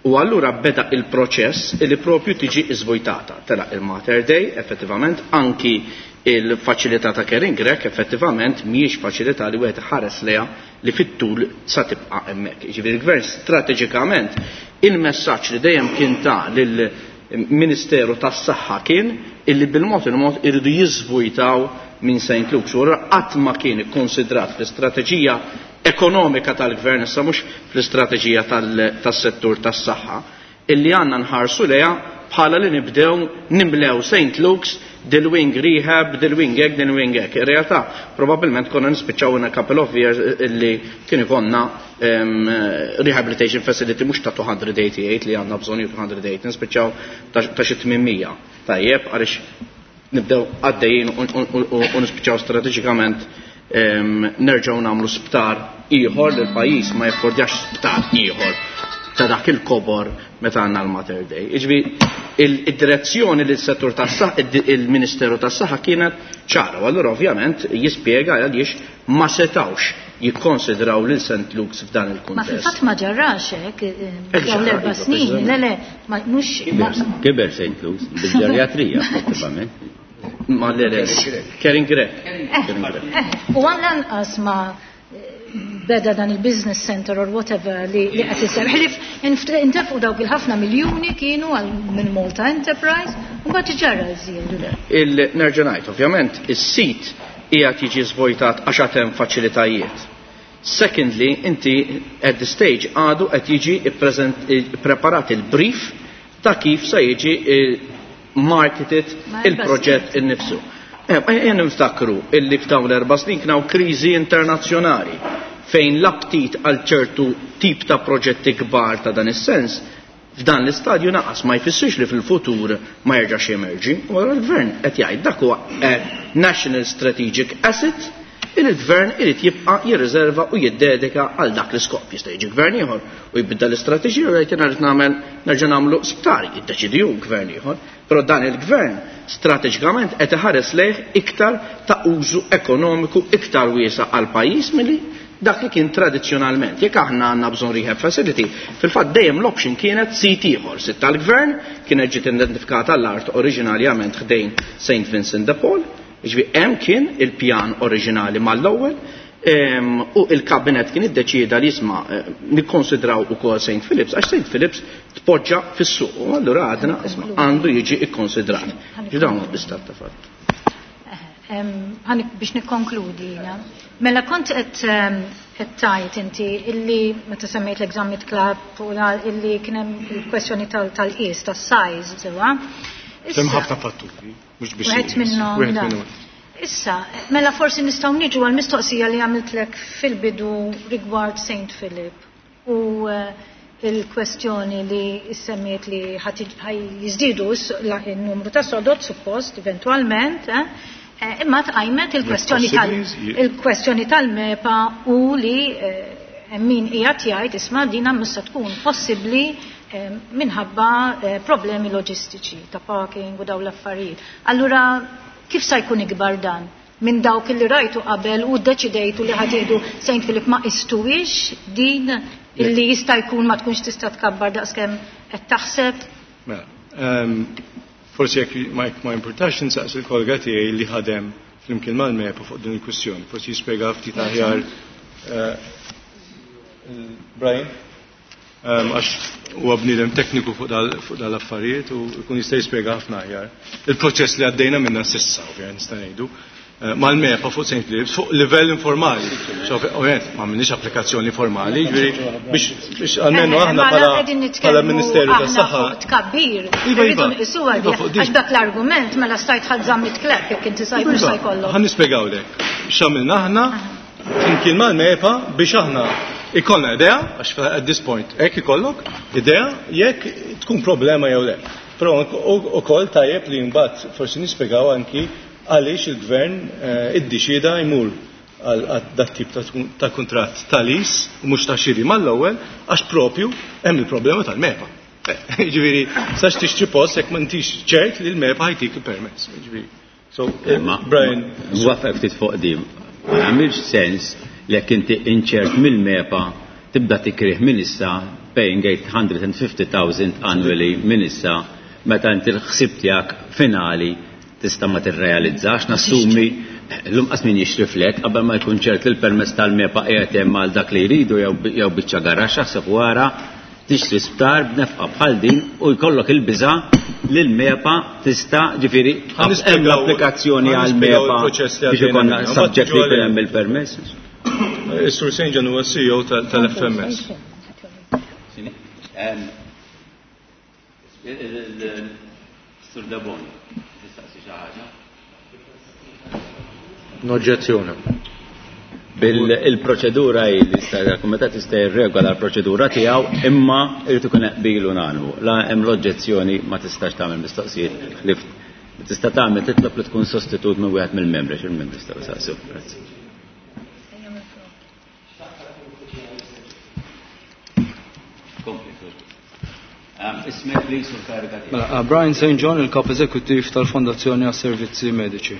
U allura beda il-proċess illi propju tiġi iżvojtata. Tela il-Mater Dei, effettivament, anki il-faċilità ta' Kering Grech, effettivament, mhijiex faċilità li wieħed ħares lejha li fit-tul sa tibqa' hemmhekk. Jiġifieri il-gvern strateġikament il-messaġġ li dejjem kien ta' lill-Ministeru tas-Saħħa kien illi bil-mod il-mod iridu jiżvujtaw minn Saint Luke's. U qatt ma kien ikkonsidrat fl-istrateġija ekonomika tal-gvern, issa mhux fl-istrateġija tas-settur tas-saħħa, illi għandna nħarsu lejha bħala li nibdew nimlew Saint Luke's dil-wing rehab, dil-wing hekk, dil-wing hekk. In realtà probabbilment konna nispiċċaw in a couple of years illi kien ikonna um, rehabilitation facility mhux ta' two hundred eighty-eight li għandna bżonn two hundred eight, nispiċċaw ta' xi eight hundred. Tajjeb, għaliex nibdew għaddejjin u nispiċċaw strateġikament nerġgħu nagħmlu sptar ieħor li l-pajjiż ma jaffordjax sptar ieħor ta' dak il-kobor meta għandna l-Mater Dei. Iġbi, il-direzzjoni li s-settur tas-saħħa, il-Ministeru tas-Saħħa kienet ċara, u allura ovvjament jispjega għaliex ma setawx jikkonsidraw lil Saint Luke's f'dan il-kuntest.
Ma fil-fatt ma ġarrax hekk, eh, dawn l-erba' snin, le le, mhux.
Kiber Saint Luke's, bil-ġerjatrija, effettivament.
Ma le le, Karen Grech.
Eh, u għan lanqas ma beda dan il-business center or whatever li qed isir. Ħlif intefqu dawk il-ħafna miljuni kienu għal minn Malta Enterprise u mbagħad ġara żiedu.
Il-nerġa' ngħid, ovvjament, is-sit qiegħed jiġi żvojtat għax hemm faċilitajiet. Secondly, inti at the stage għadu qed jiġi preparat il-brief ta' kif se jiġi marketed il-proġett innifsu. Ejja niftakru illi f'dawn l-erba' snin kien hawn kriżi internazzjonali fejn l-aptit għal ċertu tip ta' proġetti kbar ta' dan is-sens f'dan l-istadju naqas, ma jfissirx li fil-futur ma jerġax jemerġi. U l-gvern qed jgħid dak huwa national strategic asset il il-gvern irid jibqa' jirriserva u jiddedika għal dak l-iskop. Jista' jiġi gvern ieħor u jibda l-istrateġija u jgħid jiena nagħmel nerġa' nagħmlu sptar, jiddeċidi hu gvern ieħor. Però dan il-gvern strateġikament qed iħares lejh iktar ta' użu ekonomiku iktar wiesa' għal pajjiż milli dak li kien tradizzjonalment. Jekk aħna għandna bżonn rehab facility, fil-fatt dejjem l-option kienet sit ieħor, sit tal-gvern, kienet ġiet identifikata l-art oriġinarjament ħdejn Saint Vincent de Paul, ġifieri hemm kien il-pjan oriġinali mal-ewwel, u il-kabinet kien iddeċieda li jisma' eh, nikkonsidraw ukoll Saint Philips, għax Saint Philips tpoġġa fis-suq u allura għadna isma' għandu jiġi ikkonsidrat. Ġi dawn l-istat ta' fatt.
Biex nikkonkludi, mela kont qed tgħid inti illi meta semmejt l-Zammit Clapp u illi kien hemm il-kwestjoni tal-qies, tas-size, sewa.
Hemm ħafna fatturi, mhux biex.
Wieħed minnhom. Issa, mela forsi nistgħu niġu għal mistoqsija li għamiltlek fil-bidu rigward Saint Philip u eh, il-kwestjoni li semmiet li jiżdiedu il-numru ta' sodod suppost eventualment, eh, eh, imma tqajmet il-kwestjoni tal- tal-MEPA u li min qiegħed jgħid isma' dina mista tkun possibbli minħabba problemi loġistiċi ta' parking u daw l-affarijiet. Allura kif sa jkun ikbar dan minn dawk li rajtu qabel u deċidejtu li ħa tieħdu Saint Philip, ma istuwix din illi jista' jkun ma tkunx tista' tkabbar daqskemm qed taħseb?
Mela, ehm, forsi jekk ma ma importax insaqsi il-kollega tiegħi li ħadem flimkien mal-MEPA fuq din il-kwistjoni, forsi jispjega ftit aħjar eh, Brian, ehm, għax huwa bniedem tekniku fuq dal-affarijiet u jkun jista' jispjega ħafna aħjar. Il-proċess li għaddejna minna s'issa, ovvjament nista' ngħidu, eh, mal-MEPA fuq Saint Philips fuq livell informali. Ovvjament ma għamilniex applikazzjoni formali, ġifieri biex almenu eh, aħna bħala Ministeru tas-Saħħa.
Tkabbir, iva, iva. Iva, għax dak l-argument mela stajt ħadt Zammit Clapp jekk inti sajt mhux se jkollok.
Ħa nispjegawlek. X'għamilna aħna flimkien mal-MEPA biex aħna ikollna idea, għax at this point hekk ikollok idea jekk tkun problema jew le. Però ukoll tajjeb li mbagħad forsi nispjegaw anki għaliex il-gvern eh, iddeċieda jmur għal dat tip ta' kuntratt ta' lease u mhux ta' xiri mal-ewwel, għax propju hemm il-problema tal-MEPA. Eh, ġifieri, sax tixtri post jekk m'intix ċert li l-MEPA ħa jtik il-permess. Ġifieri. So, eh, Brian.
Nwafaq ftit fuq din. Ma jagħmilx sens li jekk inti inċert mill-MEPA tibda tikrih minn issa paying eight hundred fifty thousand annually minn issa meta inti l-ħsib tiegħek finali tista' ma tirrealizzax. Nassumi l-lum qas min jixtri flat qabel ma jkun ċert li l-permess tal-MEPA qiegħed hemm għal dak li jridu jew biċċa garaxx, aħseb wara tixtri sptar b'nefqa bħal din u jkollok il-biża li l-MEPA tista', ġifieri hemm l-applikazzjoni għal MEPA biex ikollna subject li jkun hemm il-permess.
Is-Sur Saint John huwa C E O tal-F M S.
Sur Deboni, tistaqsi xi ħaġa?
Noġġezzjoni.
Bil-proċedura hi li l-Kumitat jista' jirregola l-proċedura tiegħu, imma irid ikun qbil unanimu. La hemm l-oġġezzjoni ma tistax tagħmel mistoqsijiet li tista' tagħmel titlob li tkun sostitut minn wieħed mill-membri, x'il-membri jistgħu jsaqsu. Grazzi. Ismek please u l-kariga tiegħek.
Mela, Brian Saint John, il-kap eżekuttiv tal-Fondazzjoni għas-Servizzi Mediċi.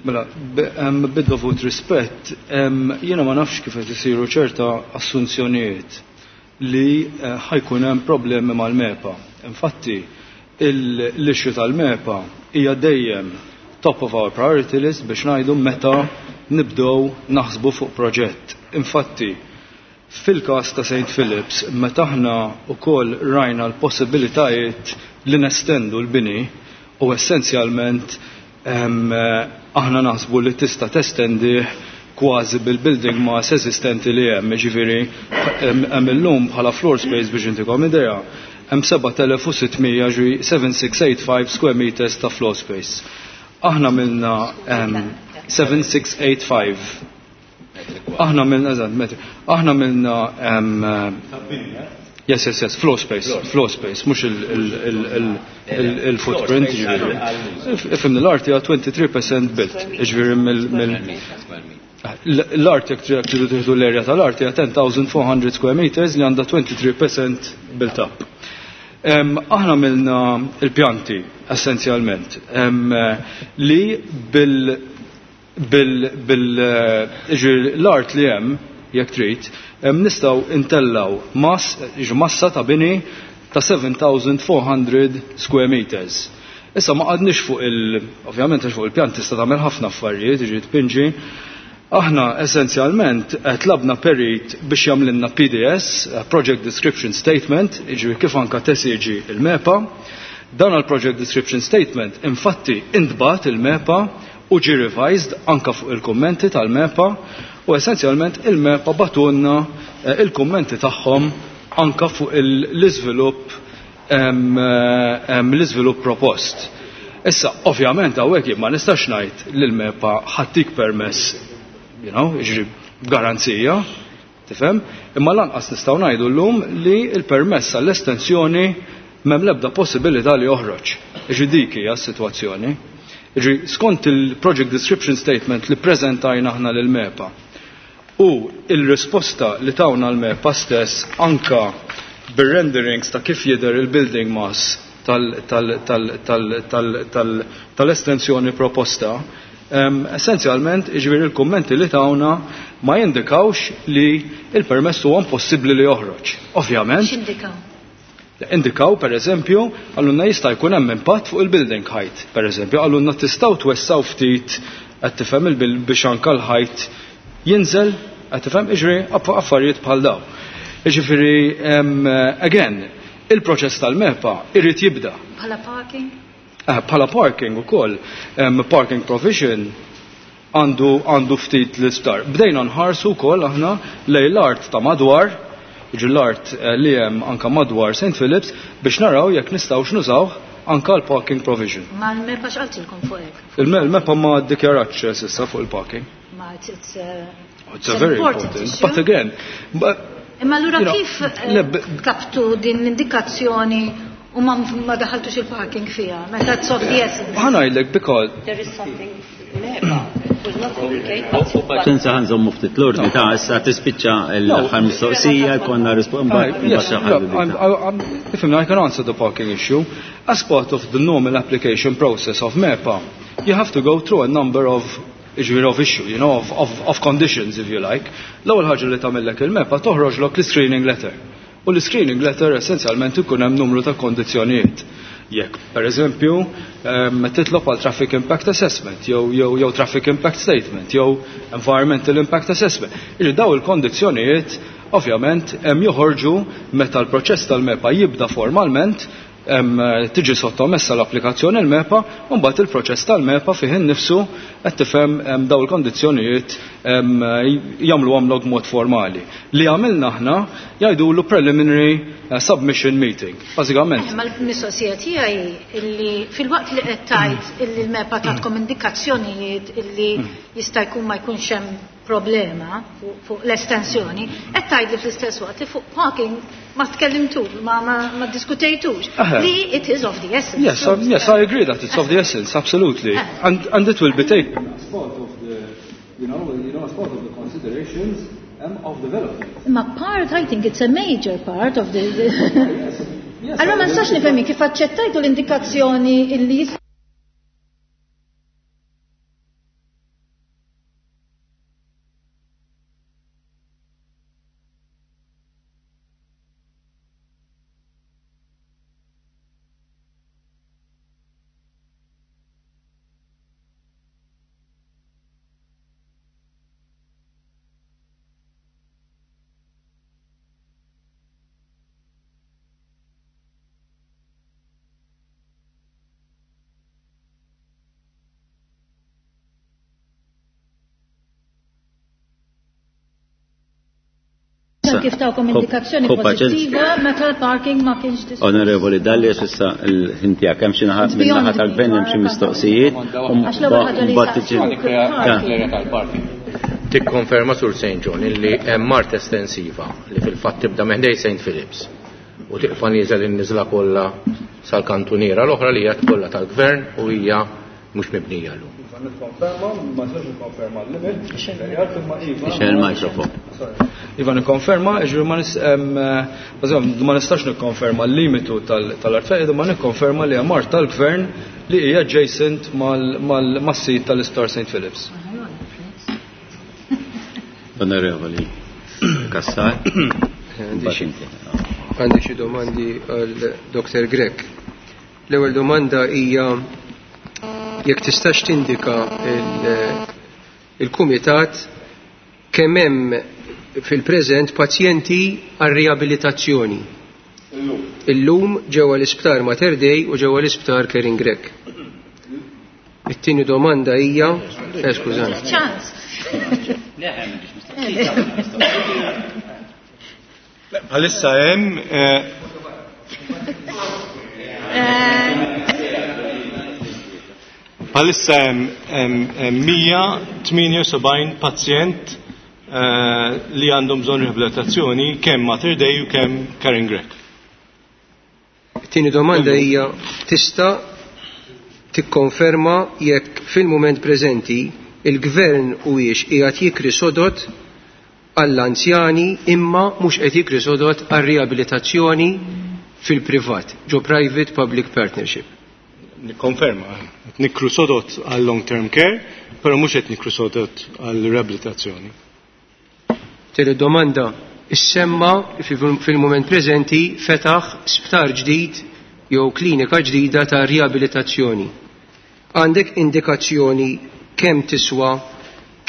Mela, bid-dovut rispett, jiena ma nafx kif qed isiru ċerta assunzjonijiet li ħajkun hemm problemi mal-MEPA. Infatti, l-issue tal-MEPA hija dejjem top of our priority list biex ngħidu meta nibdew naħsbu fuq proġett. Infatti, fil-każ ta' Saint Philips, meta aħna wkoll rajna l-possibilitajiet li nestendu l-bini u essenzjalment aħna naħsbu li tista' testendi kważi bil-building mass eżistenti li hemm, jiġifieri hemm illum bħala floor space biex intikom idea, hemm seba' telef u sittmija, ġi seven six eight five square meters ta' floor space. Aħna milna seven six eight five. Aħna milna, eżatt, metri. Aħna milna, yes, yes, yes, floor space, floor space, mhux il-footprint, ġifieri. Ifhimni, l-art hija twenty-three percent built, ġifieri mill-, mill-, l-art jekk tridu tieħdu l-area tal-art hija ten thousand four hundred square meters li għandha twenty-three percent built up. Aħna milna il-pjanti essenzjalment, li bil, bil, bil, ġifieri l-art li hemm, jekk trid, nistgħu intellaw mass, ġifieri massa ta' bini ta' seven thousand four hundred square meters. Issa ma qadniex fuq il, ovvjament għax fuq il-pjan tista' tagħmel ħafna affarijiet, jiġifieri tpinġi. Aħna essenzjalment tlabna perit biex jagħmlilna P D S, Project Description Statement, jiġifieri kif anka tesiġi il-MEPA. Dan għal-Project Description Statement infatti intbat il-MEPA u ġi revised anka fuq il-kummenti tal-MEPA u essenzjalment il-MEPA batunna, eh, il-kummenti tagħhom anka fuq l-iżvilupp, em, em, l-iżvilupp propost. Issa, ovvjament, hawnhekk jien ma nistax ngħid li l-MEPA ħattik permess, you know, jiġri b'garanzija, tifhem? Imma lanqas nistgħu ngħidu llum li l-permess għall-estensjoni m'hemm l-ebda possibilità li joħroġ. Jiġri dik hija s-sitwazzjoni. Jiġri skont il-Project Description Statement li preżentajna aħna lil MEPA u il-risposta li tawna l-MEPA stess anka bir-renderings ta' kif jidher il-building mass tal-, tal-, tal-, tal-, tal-, tal-, tal-estensjoni proposta, em, essenzjalment jiġifieri il-kummenti li tawna ma jindikawx li il-permess huwa impossibbli li joħroġ. Ovvjament.
X'indikaw?
Indikaw, per eżempju, għallunna jista' jkun hemm impatt fuq il-building height. Per eżempju, għallunna tistgħu twessaw ftit qed tifhem il-bil-, biex anke l-height jinżel, qed tifhem, jiġri aff-, affarijiet bħal daw. Jiġifieri, em, again, il-proċess tal-MEPA irid jibda.
Bħala parking?
Eh, bħala parking ukoll, em, parking provision għandu, għandu ftit l-isptar. Bdejna nħarsu wkoll aħna lejn l-art ta' madwar, jiġri l-art, eh, li hemm anka madwar Saint Philips biex naraw jekk nistgħux nużaw anka l-parking provision.
Ma l-MEPA x'qaltilkom fuq hekk?
Il-MEPA ma ddikjaratx s'issa fuq il-parking.
Ma it's, it's, uh,
It's a very
important
important,
issue.
but again, but,
Imma allura
you know,
kif, eh,
le, b-,
kaptu din l-indikazzjoni u ma, ma daħaltux il-parking fiha? Meta it's of the essence.
Ħa ngħidlek because
there is something MEPA was not communicated.
U paċenza ħa nżommu ftit l-ordni ta' issa tispiċċa l-aħħar mistoqsija, jkollna risposta, mbagħad
Yes,
mbagħad xi ħadd
look, I'm, I'm, if I can answer the parking issue, as part of the normal application process of MEPA, you have to go through a number of ġifieri of issue, you know, of, of, of conditions, if you like. L-ewwel ħaġa li tagħmellek il-MEPA toħroġlok l-screening letter. U l-screening letter essenzjalment ikun hemm numru ta' kondizzjonijiet. Jekk, per eżempju, ehm, titlob għal traffic impact assessment, jew, jew, jew traffic impact statement, jew environmental impact assessment. Iġi daw il-kondizzjonijiet, ovvjament, hemm joħorġu meta l-proċess tal-MEPA jibda formalment Tiġi sottomessa l-applikazzjoni l-MEPA, u mbagħad il-proċess tal-MEPA fih innifsu qed tifhem daw il-kondizzjonijiet jagħmlu għamlok mod formali. Li għamilna aħna jgħidulu preliminary submission meeting. Bażikament.
Ma l-mistoqsija tiegħi illi fil-waqt li qed tgħid illi l-MEPA tatkom indikazzjonijiet illi jista' jkun ma jkunx hemm problema fuq l-estensjoni, qed tgħid li fl-istess waqt li fuq parking ma tkellimtux, ma, ma, ma diskutejtux. Li it is of the essence.
Yes, um, yes, I agree that it's of the essence, absolutely. And, and it will be taken as part of the, you know, you know, as part of the considerations um, of development.
Ma part, I think it's a major part of the... the
yes, yes,
Allora ma nistax nifhem kif aċċettajtu l-indikazzjoni illi kif tawkom indikazzjoni pozittiva meta l-parking ma kienx diskuss.
Onorevoli Dalli, issa l-ħin tiegħek hemm xi naħa min-naħa tal-gvern hemm xi mistoqsijiet.
Għax l-ewwel ħaġa li
Tikkonferma Sur Saint John illi hemm mart estensiva li fil-fatt tibda minn ħdej Saint Philips u tiqfa nieżel in-niżla kollha sal-kantuniera l-oħra li hija kollha tal-gvern u hija mhux mibnija llum.
Nikkonferma, ma nistax nikkonferma l-limit.
Ixel il-mikrofon.
Iva nikkonferma, ġifieri ma nis ma nistax nikkonferma l-limitu tal-art fejn, ma nikkonferma li hemm art tal-gvern li hija adjacent mas-sit tal-Isptar Saint Philips.
Onorevoli Cassar.
Għandi xi domandi għal Doktor Grech. L-ewwel domanda hija jekk tistax tindika il-kumitat kemm hemm fil-preżent pazjenti għal riabilitazzjoni. Illum ġewwa l-isptar Mater Dei u ġewwa l-isptar Karen Grech. It-tieni domanda hija, eh, skużani.
Bħalissa hemm Bħalissa hemm mija tmienja u sebgħin pazjent li għandhom bżonn riabilitazzjoni kemm Mater Dei u kemm Karen Grech.
Tieni domanda hija tista' tikkonferma jekk fil-mument preżenti il-gvern huwiex qiegħed jikri sodot għall-anzjani imma mhux qed jikri sodot għar-riabilitazzjoni fil-privat, ġo private public partnership.
Nikkonferma, qed nikru sodot għal long term care, però mhux qed nikru sodot għal riabilitazzjoni.
Tieni domanda, issemma fil-mument preżenti fetaħ sptar ġdid jew klinika ġdida ta' riabilitazzjoni. Għandek indikazzjoni kemm tiswa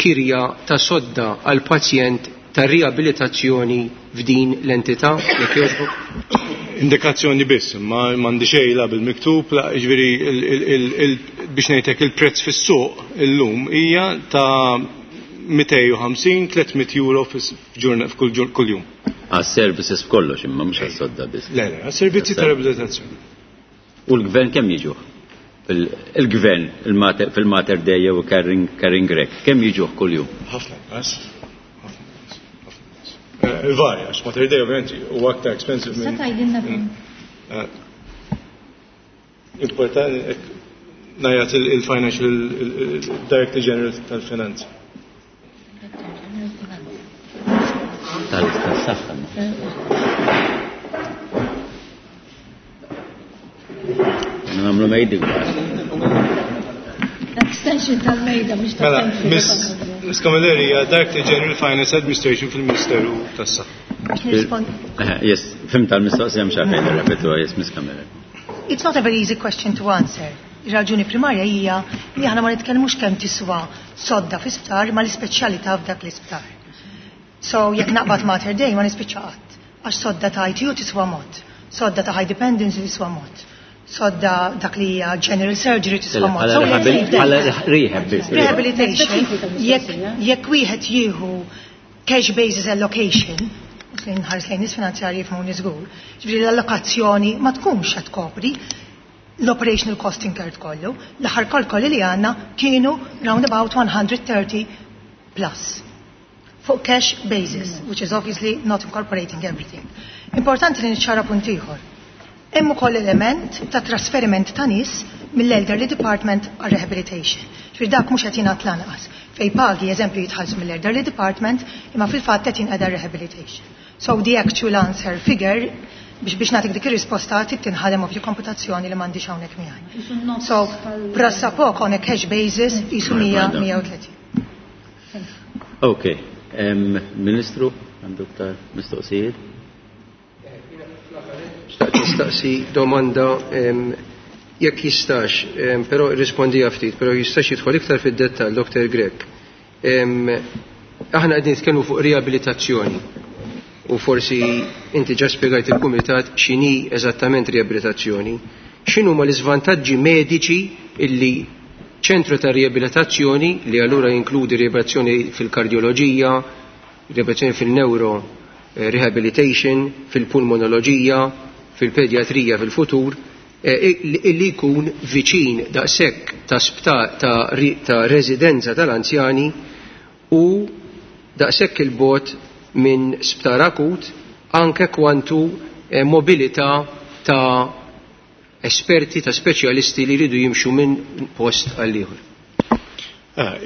kirja ta' sodda għal pazjent ta' riabilitazzjoni f'din l-entità? Jekk jogħġbok?
Indikazzjoni biss, ma m'għandi xejn la bil-miktub, la jiġifieri biex ngħidlek il-prezz fis-suq illum hija ta' mitejn u ħamsin, tliet mitt euro f'kull kull jum.
Għas-services f'kollox imma mhux għas-sodda biss.
Le, le, għas-servizzi ta' riabilitazzjoni.
U l-gvern kemm jiġuh? Il-gvern fil-Mater Dei jew Karen Grech, kemm jiġuh kuljum?
Ħafna inqas. Varja, għax Mater Dei ovvjament huwa aktar expensive minn.
Se tgħidilna kemm?
Importanti ngħid il-Financial Director General tal-Finanzi.
Tal-saħħa. Nagħmlu mejdi kbar.
Extension tal-mejda mhux
Mela, Miss Miss Camilleri hija Director General Finance Administration fil-Ministeru tas-Saħħa.
Yes, fhimt tal-mistoqsija mhux għalfejn nirrepetuha, yes, Miss Camilleri.
It's not a very easy question to answer. Ir-raġuni primarja hija li aħna ma nitkellmux kemm tiswa sodda fi sptar ma l-ispeċjalità f'dak l-isptar. So jekk naqbad Mater Dei ma nispiċċa qatt, għax sodda ta' I T U tiswa mod, Sodda ta' high dependency tiswa mod. Sodda dak li hija general surgery tiswa mod.
Bħala rehab biss.
Rehabilitation, jekk wieħed jieħu cash basis allocation, lejn ħares lejn nies finanzjarji jifhmuni żgur, ġifieri l-allokazzjoni ma tkunx qed tkopri l-operational cost incurred kollu. L-aħħar kalkoli li għandna kienu round about one hundred thirty plus. Fuq cash basis, which is obviously not incorporating everything. Importanti li niċċara punt ieħor. Hemm ukoll element ta' trasferiment ta' nies mill-elderly department għal rehabilitation. Ġifieri dak mhux qed jingħad lanqas. Fej pagi eżempju jitħallsu mill-elderly department imma fil-fatt qed jinqeda rehabilitation. So the actual answer figure biex biex nagħtik dik ir-risposta trid tinħadem ovvju komputazzjoni li m'għandix hawnhekk miegħi. So pressappoco on a cash basis jisu mija u tletin.
Ok, Ministru, għandu iktar mistoqsijiet?
Xtaqt nistaqsi domanda jekk jistax, però irrispondija ftit, però jistax jidħol iktar fid-dettall Doktor Grech. Aħna qegħdin nitkellmu fuq riabilitazzjoni u forsi inti ġa spjegajt il-kumitat x'inhi eżattament riabilitazzjoni. X'inhuma l-iżvantaġġi mediċi illi ċentru ta' riabilitazzjoni li allura jinkludi riabilitazzjoni fil-kardjoloġija, riabilitazzjoni fil-neuro rehabilitation, fil-pulmonoloġija, fil-pedjatrija fil-futur, illi jkun viċin daqshekk ta' sptar ta' residenza tal-anzjani u daqshekk il-bot minn sptar akut anke kwantu mobilità ta' esperti, ta' speċjalisti li jridu jimxu minn post għal ieħor.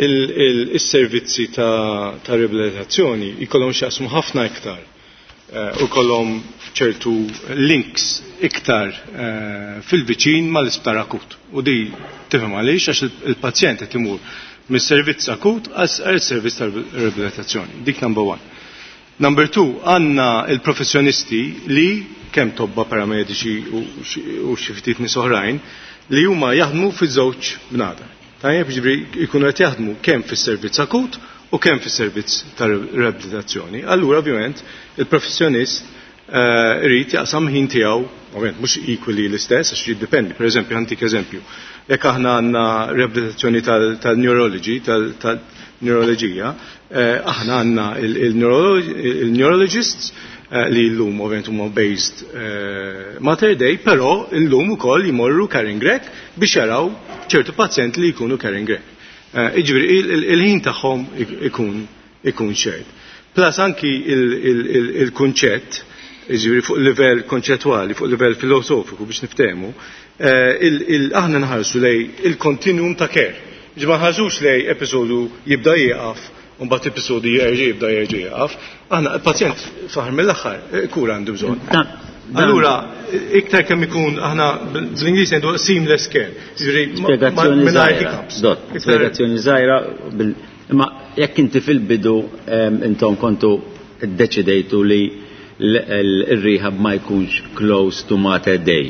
Il-servizzi ta' riabilitazzjoni jkollhom x'jaqsmu ħafna iktar u kollhom ċertu links iktar fil-viċin mal-isptar akut. U di tifhem għaliex għax il-pazjent qed imur mis-servizz akut għal servizz ta' riabilitazzjoni. Dik number one. Number two, għandna il-professjonisti li kemm tobba paramediċi u xi ftit nies oħrajn li huma jaħdmu fiż-żewġ bnadar. Tajjeb, jiġifieri jkunu qed jaħdmu kemm fis-servizz akut u kemm fis-servizz ta' riabilitazzjoni. Allura ovvjament il-professjonist irid jaqsam ħin tiegħu, ovvjament mhux equally l-istess għax jiddependi. Pereżempju, ħantik eżempju, jekk aħna għandna riabilitazzjoni tal-neurology, tal-neuroloġija, aħna għandna il-neurologists li llum ovvjament huma based Mater Dei, però llum ukoll jmorru Karin Grech biex jaraw ċertu pazjenti li jkunu Karin Grech. Jiġifieri il-ħin tagħhom ikun ikun shared. Plus anki il-kunċett, jiġifieri fuq livell konċettwali, fuq livell filosofiku biex niftehmu, aħna nħarsu lej il-kontinuum ta' care. Jiġifieri ma nħarsux lej episodju jibda jieqaf u mbagħad episodju jerġa' jibda jerġa' jieqaf. Aħna il-pazjent fl-aħħar mill-aħħar kura għandu bżonn. Allura, iktar kemm ikun aħna bl-Ingliż ngħidu seamless care. Jiġifieri mingħajr hiccups.
Spjegazzjoni żgħira, imma jekk inti fil-bidu intom kontu ddeċidejtu li l-rehab ma jkunx close to Mater Dei.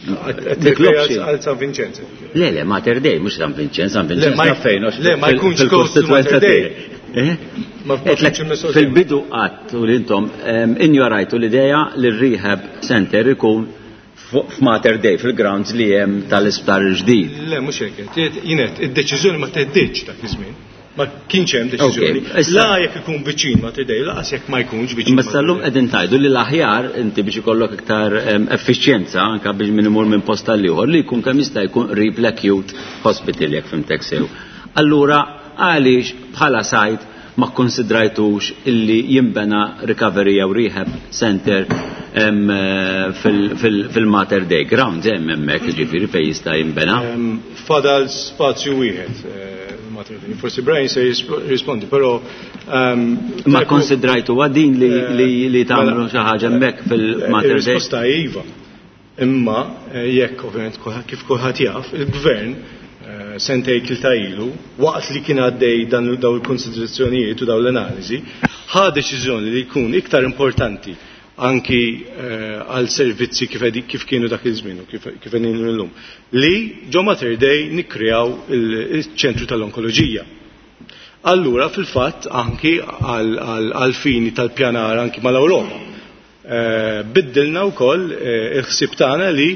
Għal San Vincenzo.
Le, le, Mater Dei, mhux San Vincenzo, San Vincenzo fejn.
Le, ma jkunx close to Mater Dei.
Fil-bidu qatt u intom injorajtu l-idea li r-rehab center ikun f'Mater Dei, fil-grounds li hemm tal-isptar il-ġdid.
Le, mhux hekk, jien id-deċiżjoni ma teħdiġ dak iż-żmien. Ma kienx hemm deċiżjoni. La jekk ikun viċin Mater Dei, laqas jekk ma jkunx viċin.
Ma sal-lum qegħdin tgħidu li l-aħjar inti biex ikollok iktar effiċjenza anke biex min imur minn post għal ieħor li jkun kemm jista' jkun qrib l-acute hospital jekk fimtek sew. Allura għaliex bħala sajt ma konsidrajtux illi jimbena recovery jew rehab center fil-Mater Dei grounds hemm hemmhekk, jiġifieri fejn jista' jimbena.
Fadal spazju wieħed Mater Dei. Forsi Brian se jirrispondi, però
ma konsidrajtu din li tagħmlu xi ħaġa hemmhekk fil-Mater Dei?
Ir-risposta iva. Imma jekk ovvjament kif kulħadd jaf, il-gvern sentej tlieta ilu, waqt li kien għaddej dan daw il-konsiderazzjonijiet u daw l-analiżi, ħa deċiżjoni li jkun iktar importanti anki għal servizzi kif kienu dak iż-żmien u kif qegħdin illum, li ġo Mater Dei nikkreaw il-ċentru tal-onkoloġija. Allura fil-fatt anki għal fini tal-pjanar anki mal-Ewropa. Eh, biddilna wkoll eh, il-ħsieb tagħna li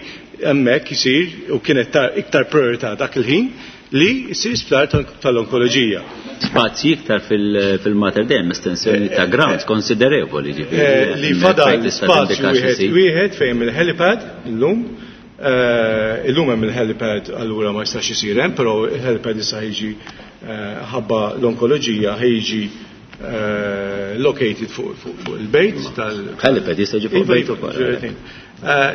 hemmhekk isir u kienet iktar priorità dak il-ħin li jsir sptar tal-onkoloġija.
Spazji iktar fil-Mater Dei, estensjoni ta' grounds konsiderevoli
ġifieri. Li fadal spazju wieħed wieħed fejn il-helipad illum. Illum hemm il-helipad allura ma jistax isir hemm, però il-helipad issa ħiġi ħabba l-onkoloġija ħiġi located fuq il-bejt tal
Helipad jista' jiġi fuq il-bejt ukoll.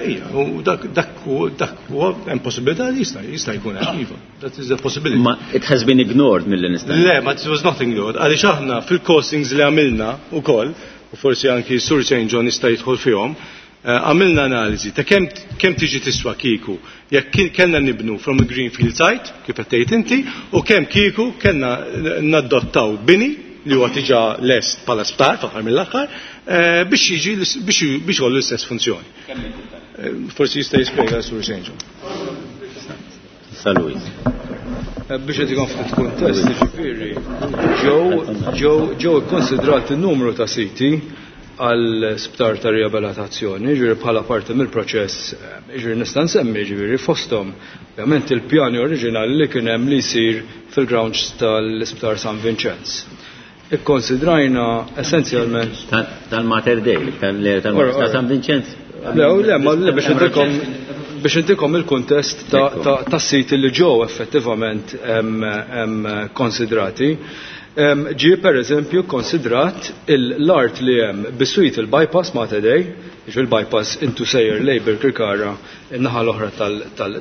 Ija, u dak dak huwa hemm possibilità li jista' jista' jkun hemm iva. That is a possibility.
Ma it has been ignored mill nista'.
Le, ma it was not ignored. Għaliex aħna fil-costings li għamilna ukoll, u forsi anki Sur Saint John jista' jidħol fihom, għamilna analiżi ta' kemm kemm tiġi tiswa kieku jekk kellna nibnu from a greenfield site, kif qed tgħid inti, u kemm kieku kellna nadottaw bini li huwa diġà lest bħala sptar fl-aħħar mill-aħħar biex jiġi biex biex jkollu l-istess funzjoni. Forsi jista' jispjega Sur Saint John.
Saluis.
Biex qed ikun ftit kuntest, jiġifieri ġew ġew ġew ikkonsidrati n-numru ta' siti għal sptar ta' riabilitazzjoni, ġifieri bħala parti mill-proċess, ġifieri nista' nsemmi ġifieri fosthom ovvjament il-pjani oriġinali li kien hemm li jsir fil-grounds tal-Isptar San Vincenz. Ikkonsidrajna essenzjalment
tal-Mater Dei, tal San Vincenz.
Le, le, ma le biex intikom biex intikom il-kuntest ta' siti li ġew effettivament konsidrati. Ġie per eżempju konsidrat l-art li hemm biswit il-bypass Mater Dei, jiġu il-bypass intu sejjer lejn Birkirkara in-naħa l-oħra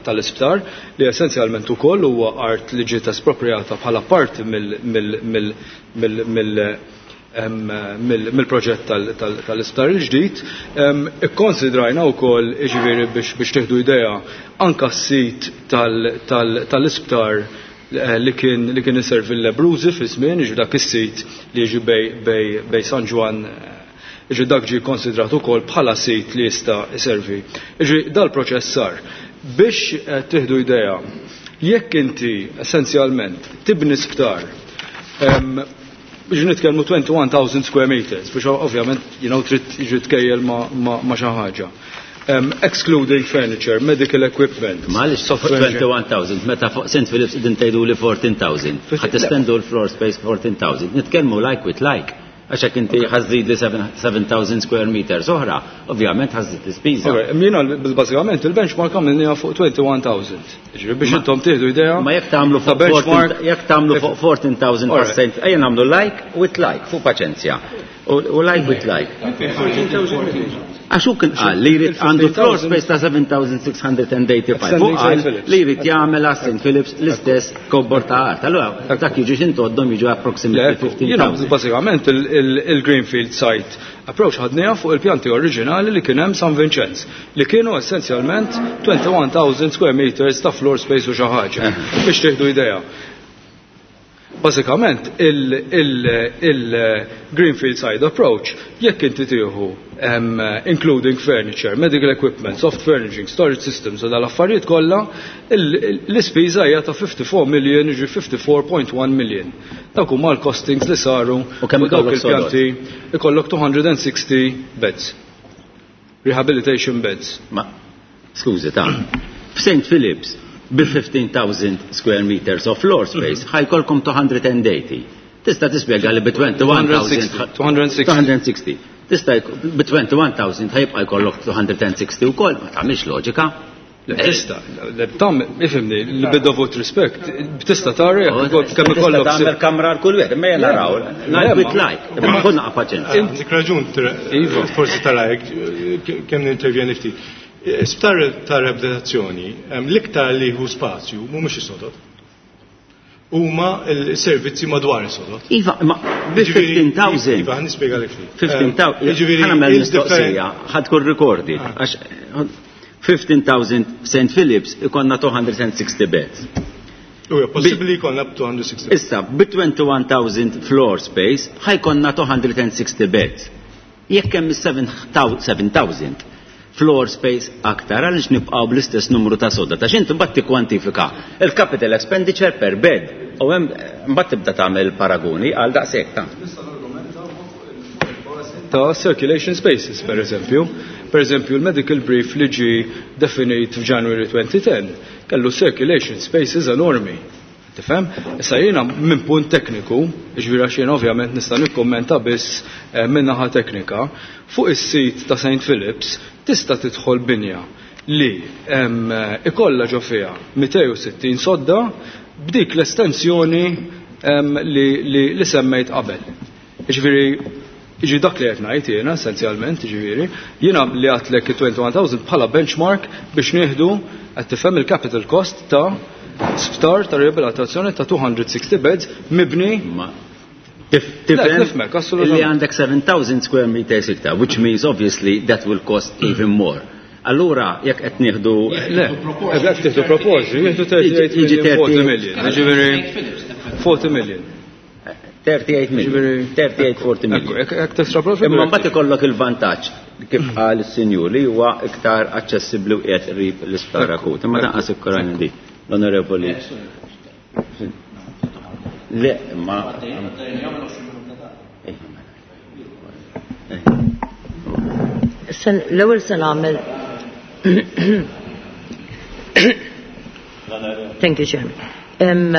tal-isptar, li essenzjalment ukoll huwa art li ġiet espropriata bħala parti mill-proġett tal-isptar il-ġdid. Ikkonsidrajna wkoll, jiġifieri biex tieħdu idea, anka s-sit tal-isptar li kien li kien iservi l-Lebruzi fi żmien, jiġu dak is-sit li jiġi bej bej San Ġwann, jiġi dak ġie konsidrat ukoll bħala sit li jista' iservi. Jiġi dal-proċess sar. Biex tieħdu idea, jekk inti essenzjalment tibni sptar, biex nitkellmu twenty-one thousand square meters, biex ovvjament you know, trid jiġi tkejjel ma' xi ħaġa. Um, excluding furniture, medical equipment.
Għaliex twenty-one thousand, meta fuq Saint Phillips din tgħidu li fourteen thousand. Ħadd tistendu l-floor space fourteen thousand. Nitkellmu like with like. Għax hekk inti ħażid li seven thousand square meters oħra, ovvjament ħażid l-ispiża.
Jiena bażikament il-benchmark għamilniha fuq twenty-one thousand. Jiġifieri biex intom tieħdu idea.
Ma jekk tagħmlu fuq
benchmark
jekk tagħmlu fuq fourteen thousand percent, ejja nagħmlu like with like fuq paċenzja. U like with like. Għax hu kien qal li jrid għandu floor space ta' seven thousand six hundred and eighty-five. Hu qal li jrid jagħmel għas Saint Phillips l-istess kobor ta' art. Allura dak jiġi x'intoddhom jiġu approximately fifteen thousand.
Bażikament il-Greenfield site approach ħadniha fuq il-pjanti oriġinali li kien hemm San Vincenz, li kienu essenzjalment twenty-one thousand square meters ta' floor space u xi ħaġa. Biex tieħdu idea. Bażikament il-Greenfield side approach, jekk inti tieħu including furniture, medical equipment, soft furnishing, storage systems u dal-affarijiet kollha, l-ispiża hija ta' fifty-four million, jiġi fifty-four point one million. Dawk huma l-costings li saru
U kemm
u dawk
ikollok sodod?
il-pjanti ikollok two hundred and sixty beds. Rehabilitation beds.
Ma, skużi ta' f'Saint Phillips bi fifteen thousand square meters of floor space ħajkolkom two hundred and eighty. Tista' tispjega li bi twenty-one thousand
two hundred and sixty.
two hundred and sixty. Tista' bi twenty-one thousand ħajbqa' jkollok two hundred and sixty wkoll, ma tagħmilx loġika.
Le, tista', le, tam, ifhimni, li bid-dovut rispett, tista' tara jekk ukoll kemm
Tista'
ikollok
tagħmel
si-
kamra għal kull wieħed, imma jien naraw,
Le,
like
ma-
with like, imma kun naqa' paċenzja.
Għandek raġun,
Iva.
forsi tara hekk, kemm nintervjeni ftit. Sptar ta' riabilitazzjoni, l-iktar li hu spazju mhumiex is-sodod. Huma l-servizzi madwar is-sodod.
Iva, ma bi
Jiġifieri,
fifteen thousand.
Iva, nispjega lek ftit.
fifteen thousand.
Jiġifieri,
Ħa nagħmel
il-differen-
mistoqsija, ħad tkun recorded, għax fifteen thousand Saint Phillips ikonna two hundred and sixty beds.
U hija possibbli jkollna two hundred and sixty.
Issa, bi twenty-one thousand floor space ħajkonna two hundred and sixty beds. Jekk hemm seven thousand floor space aktar, għaliex nibqgħu bl-istess numru ta' sodda, ta' x'inti mbagħad tikkwantifika il-capital expenditure per bed u hemm mbagħad tibda tagħmel paragoni għal daqshekk ta'.
Nista' nargumenta fuq il-bażi ta' circulation spaces, per eżempju. Per eżempju, il-medical brief li ġi definit f'January twenty ten kellu circulation spaces enormi. Tifhem? Issa jiena minn punt tekniku, ġifieri għax jiena ovvjament nista' nikkommenta biss eh, minn naħa teknika, fuq is-sit ta' Saint Philips tista' tidħol binja li em, ikollha ġo fiha mitejn u sittin sodda b'dik l-estensjoni em, li, li, li semmejt qabel. Ġifieri, ġi dak li qed ngħid jiena essenzjalment, ġifieri, jiena li għedtlek twenty-one thousand bħala benchmark biex nieħdu, qed tifhem, il-capital cost ta' sptar ta' riabilitazzjoni ta' two hundred sixty beds mibni.
Ma tifhem
Nifhmek, assolutament.
li għandek seven thousand square meters iktar, which means obviously that will cost even more. Allura, jekk qed nieħdu
Le, jekk tieħdu proporzju, jieħdu thirty-eight
Jiġi
million, forty
thirty-eight
million. Ġifieri forty million.
thirty-eight million.
Ġifieri
thirty-eight, forty million.
Ekku, jekk testrapola.
Imma mbagħad ikollok il-vantaġġ kif qal is-sinjur li huwa iktar aċċessibbli u qiegħed qrib l-isptar akut. Imma danqas ikkorajna di. L-Onorevoli. Le, ma Eh,
Sen- L-ewwel se nagħmel. Thank you, Chairman. Em,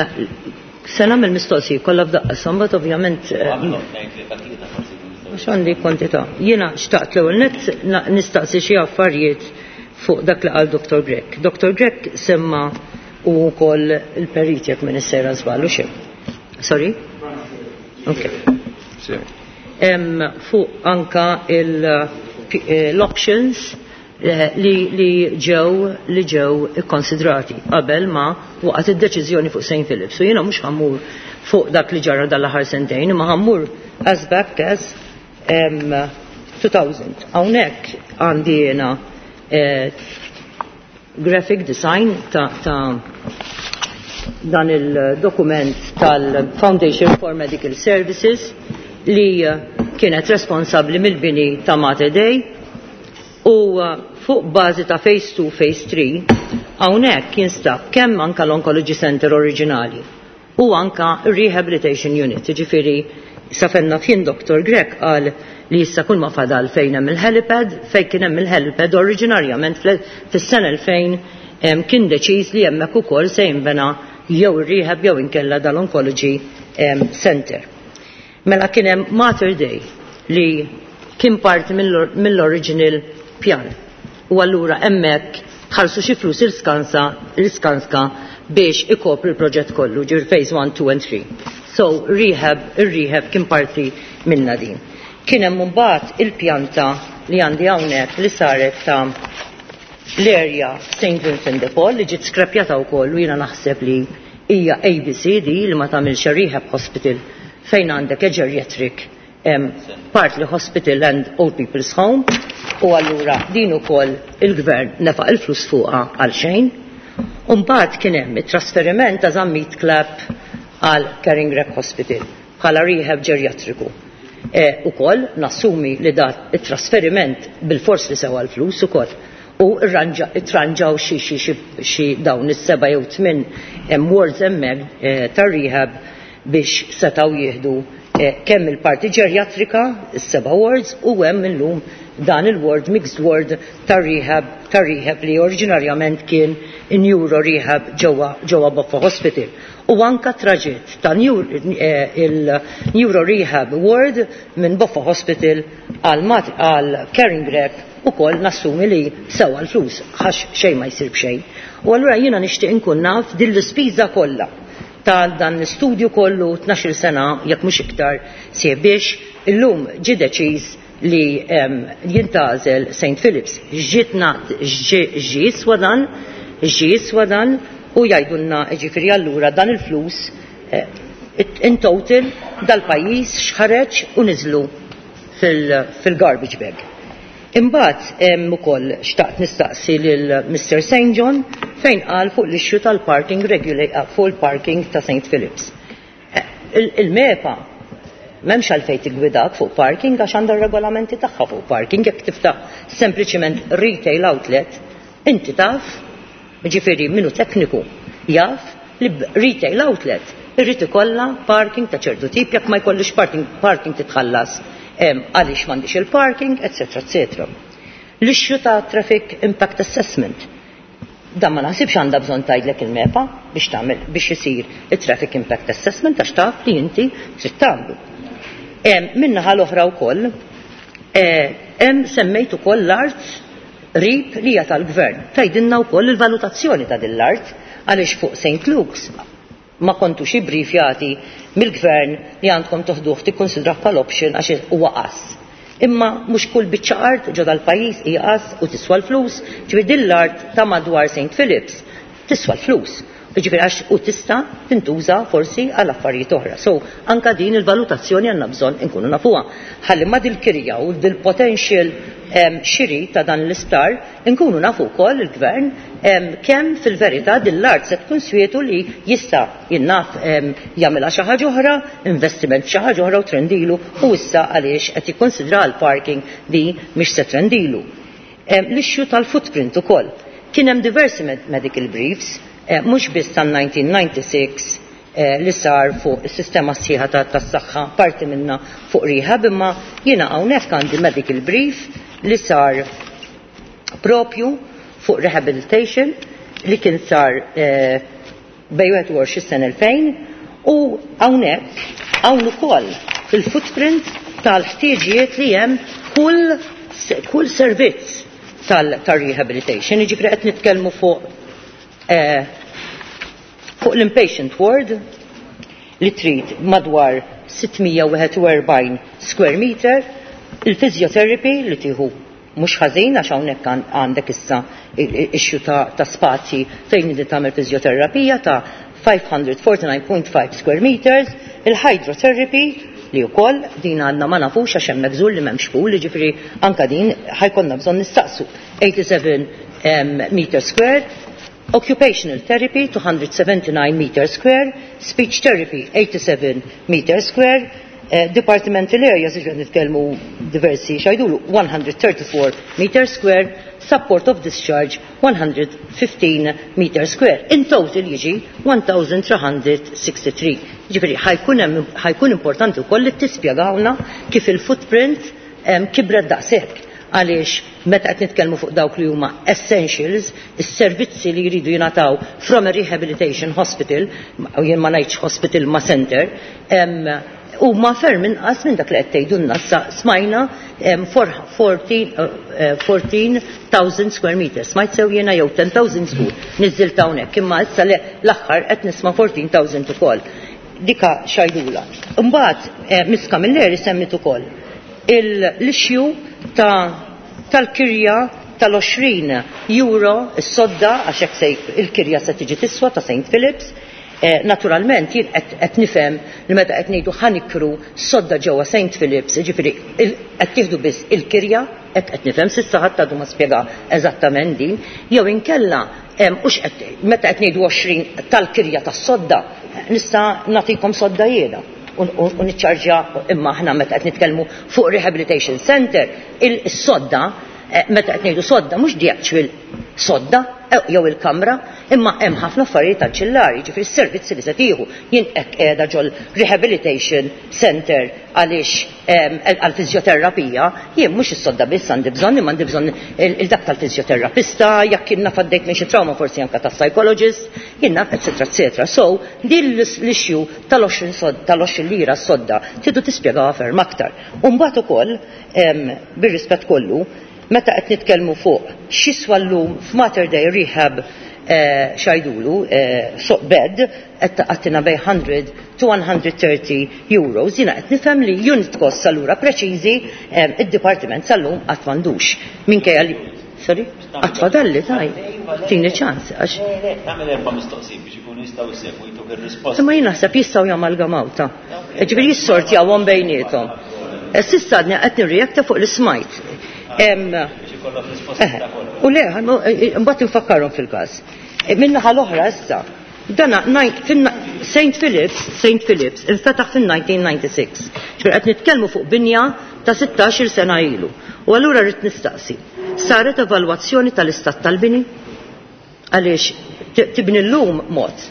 Se nagħmel mistoqsija kollha f'daqqa, mbagħad ovvjament eh, mhux għandi kwantità. Jiena xtaqt l-ewwel nett na- nistaqsi xi affarijiet fuq dak li qal Doctor Grech. Doctor Grech semma u wkoll il-perit, jekk minn sejra żball u xejn. Sorry? Okay. Em, fuq anka il- eh, l-options eh, li, li ġew li ġew ikkonsidrati qabel ma waqgħet id-deċiżjoni fuq Saint Philip. So jiena mhux ħa mmur fuq dak li ġara dal-aħħar sentejn, imma ħa mmur as back as um, two thousand. Hawnhekk għandi jiena eh, graphic design ta', ta dan il-dokument tal-Foundation for Medical Services li eh, kienet responsabli mill-bini ta' Mater Dei u eh, fuq bażi ta' Phase two, Phase three, hawnhekk jinstab kemm anka l-Oncology Center oriġinali u anka Rehabilitation Unit, ġifieri safenna fien Doctor Grech qal li issa kull ma fadal fejn hemm il-helipad, fejn kien hemm il-helipad oriġinarjament fis-sena elfejn em, kien deċiż li hemmhekk ukoll se jinbena jew ir-rehab jew inkella dal-Oncology em, Center. Mela kien hemm Mater Dei li kien parti mill- mill-original pjan. U allura hemmhekk ħarsu xi flus il-Skanska il-Skanska biex ikopri l-proġett kollu, ġir phase one, two and three. So rehab, il-rehab kien parti minna din. Kien hemm mbagħad il-pjanta li għandi hawnhekk li saret ta' l-area Saint Vincent de Paul li ġiet skrapjata wkoll u jiena naħseb li hija A B C D li ma tagħmilx rehab hospital fejn għandek a geriatric um, partly hospital and old people's home, u allura din ukoll il-gvern nefaq il-flus fuqha għal xejn. Umbagħad kien hemm it-trasferiment ta' Zammit Clapp għal Caring Grech Hospital bħala rehab ġeriatriku. E, ukoll nassumi li dat it-trasferiment bil-fors li sewa l-flus ukoll u rranġa- itranġaw xi xi xi xi dawn is-seba' jew tmien em, wards hemmhekk eh, tar-rehab biex setgħu jieħdu eh, kemm il-parti ġeriatrika, is-seba' wards, u hemm illum dan il-ward, mixed ward tar-rehab tar-rehab li oriġinarjament kien neuro rehab ġewwa ġewwa Boffa Hospital. U anka traġitt ta' eh, il-neuro rehab ward minn Boffa Hospital għal mat- għal Caring Grech ukoll nassumi li sewa l-flus, għax xejn ma jsir b'xejn. U allura jiena nixtieq inkun naf din l-ispiża kollha ta' dan l-istudju kollu tnax-il sena jekk mhux iktar sie biex illum ġi deċiż li um, jintgħażel Saint Philips. Ġitna ġi swadan, ġi swadan u jgħidulna ġifieri allura dan il-flus eh, in total dal-pajjiż xħareġ u niżlu fil-garbage bag. Imbagħad hemm ukoll xtaqt nistaqsi lil Mister Saint John fejn qal fuq l-issue tal-parking regula fuq il-parking ta' Saint Philips. Eh, Il-MEPA m'hemmx għalfejn tigwidak fuq parking għax għandha regolamenti tagħha fuq parking. Jekk tiftaħ sempliċiment retail outlet, inti taf, ġifieri minnu tekniku jaf li retail outlet irrid ikollha parking ta' ċertu tip, jekk ma jkollix parking, parking titħallas Għaliex m'għandix il-parking, eccetera, eccetera. L-issue ta' Traffic Impact Assessment. Dan ma naħsibx għandha bżonn tgħidlek il-MEPA biex tagħmel biex isir it-Traffic Impact Assessment għax taf li inti trid tagħmlu. Min-naħa l-oħra wkoll hemm semmejt ukoll l-art rib li hija tal-gvern. Tgħidilna wkoll il-valutazzjoni ta' din l-art għaliex fuq Saint Luke's ma kontux ibbrifjati mill-gvern li għandkom toħduh tikkonsidrah bħal option għax huwa qass. Imma mhux kull biċċa art ġo dal-pajjiż hija qass u tiswa l-flus, ġifieri din l-art ta' madwar Saint Philips tiswa l-flus. Ġifieri għax u tista' tintuża forsi għal affarijiet oħra. So anka din il-valutazzjoni għandna bżonn inkunu nafuha. Ħalli ma dil-kirja u dil-potential xiri ta' dan l-isptar inkunu nafu wkoll il-gvern kemm fil-verità din l-art se tkun swietu li jista' jinnaf jagħmilha xi ħaġa oħra, investiment f'xi ħaġa oħra u trendilu u issa għaliex qed jikkonsidra l-parking di mhix se trendilu. L-issue tal-footprint ukoll. Kien hemm diversi medical briefs, mhux biss tan-nineteen ninety-six li sar fuq is-sistema sħiħa tas-saħħa parti minna fuq rehab, imma jiena hawnhekk għandi medical brief li sar propju fuq rehabilitation li kien sar bejn wieħed u għoxrin sena elfejn u hawnhekk hawn ukoll il-footprint tal-ħtieġijiet li hemm kull, kull servizz tal-rehabilitation. Jiġifieri qed nitkellmu fuq eh, fuq l-inpatient ward li trid madwar sittmija wieħed u erbgħin square meter, il-physiotherapy li tieħu mhux ħażin għax hawnhekk għandek issa issue ta', ta' spazji fejn inti tagħmel fiżjoterapija ta' five hundred forty-nine point five square meters, il-hydrotherapy li wkoll din għandna ma nafux għax hemm żur li m'hemmx pool, jiġifieri anka din ħajkonna bżonn nistaqsu eighty-seven meter square, occupational therapy two hundred seventy-nine meter square, speech therapy eighty-seven meter square, eh, departmental areas, ġifieri nitkellmu diversi xajdulu one hundred thirty-four meter square, support of discharge one hundred fifteen meter square. In total jiġi one thousand three hundred sixty-three. Ġifieri ħajkun hemm, ħajkun importanti wkoll li tispjegawna kif il-footprint, em, kibret daqshekk. Għaliex meta qed nitkellmu fuq dawk li huma essentials, is-servizzi li jridu jingħataw from a rehabilitation hospital, u jien ma ngħidx hospital ma center, em, huma ferm inqas minn dak li qed tgħidulna. Issa smajna, em, fourteen, eh, fourteen thousand square meters. Smajt sew jiena jew ten thousand żgur, niżżilt hawnhekk, imma issa le l-aħħar qed nisma' fourteen thousand ukoll. Dika xajdula. Imbagħad, eh, Miss Camilleri semmit ukoll l-issue ta' tal-kirja tal-għoxrin euro s-sodda għax hekk se il-kirja se tiġi tiswa ta' Saint Philips. Eh, naturalment jien qed, qed nifhem li meta qed ngħidu ħanikru sodda ġewwa Saint Philips, jiġifieri il-, qed tieħdu biss il-kirja, hekk qed nifhem s'issa ħadd għadu ma spjega eżattament din, jew inkella, em, hux qed, meta qed ngħidu għoxrin tal-kirja tas-sodda, nista' nagħtikom sodda jiena u, u, u niċċarġja, imma aħna meta qed nitkellmu fuq rehabilitation center, il-sodda, eh, meta qed ngħidu sodda mhux the actual sodda, eh, jew il-kamra, imma hemm ħafna affarijiet anċillari, jiġifieri s-servizzi li se tieħu. Jien hekk qiegħda ġol rehabilitation center għaliex, em, għall-fiżjoterapija, jien mhux is-sodda biss għandi bżonn, imma għandi bżonn il-, il-dak tal-fiżjoterapista, jekk jien naf għaddejt minn xi trauma forsi anke tas-psychologist, jien naf, et cetera, et cetera. So, din l-issue tal-għoxrin sod-, tal-għoxrin lira s-sodda tridu tispjegawha ferm aktar. U mbagħad ukoll, em, bir-rispett kollu, meta qed nitkellmu fuq x'jiswa llum f'Mater Dei Rehab, eh, xajdulu, eh, so bed, qed taqattina bej hundred to one hundred thirty euros, jiena qed nifhem li unit cost allura preċiżi, eh, id-dipartiment sal-lum qatt m'għandux. Minkejja li, sorry, qatt fadalli taj, tini ċans, għax.
Le, le, tagħmel erba' mistoqsijiet biex ikunu jistgħu jsegwu jtuk ir-risposta.
Imma jien naħseb jistgħu jamalgamaw ta'. Ġifieri jissortjawhom bejniethom. Eh, s'issa għadni qed nirreakta fuq l-ismajt. Em,
Biex ikollok risposta
eh,
ta' kollox.
U le, ħannu, eh, eh, mbagħad infakkarhom fil-każ. Eh, min-naħa l-oħra issa, dana nine, fin-, Saint Philips, Saint Philips infetaħ fin-nineteen ninety-six. Ġifieri qed nitkellmu fuq binja ta' sittax-il sena ilu. U allura rrid nistaqsi, saret evalwazzjoni tal-istat tal-bini? Għaliex t-, tibni llum mod,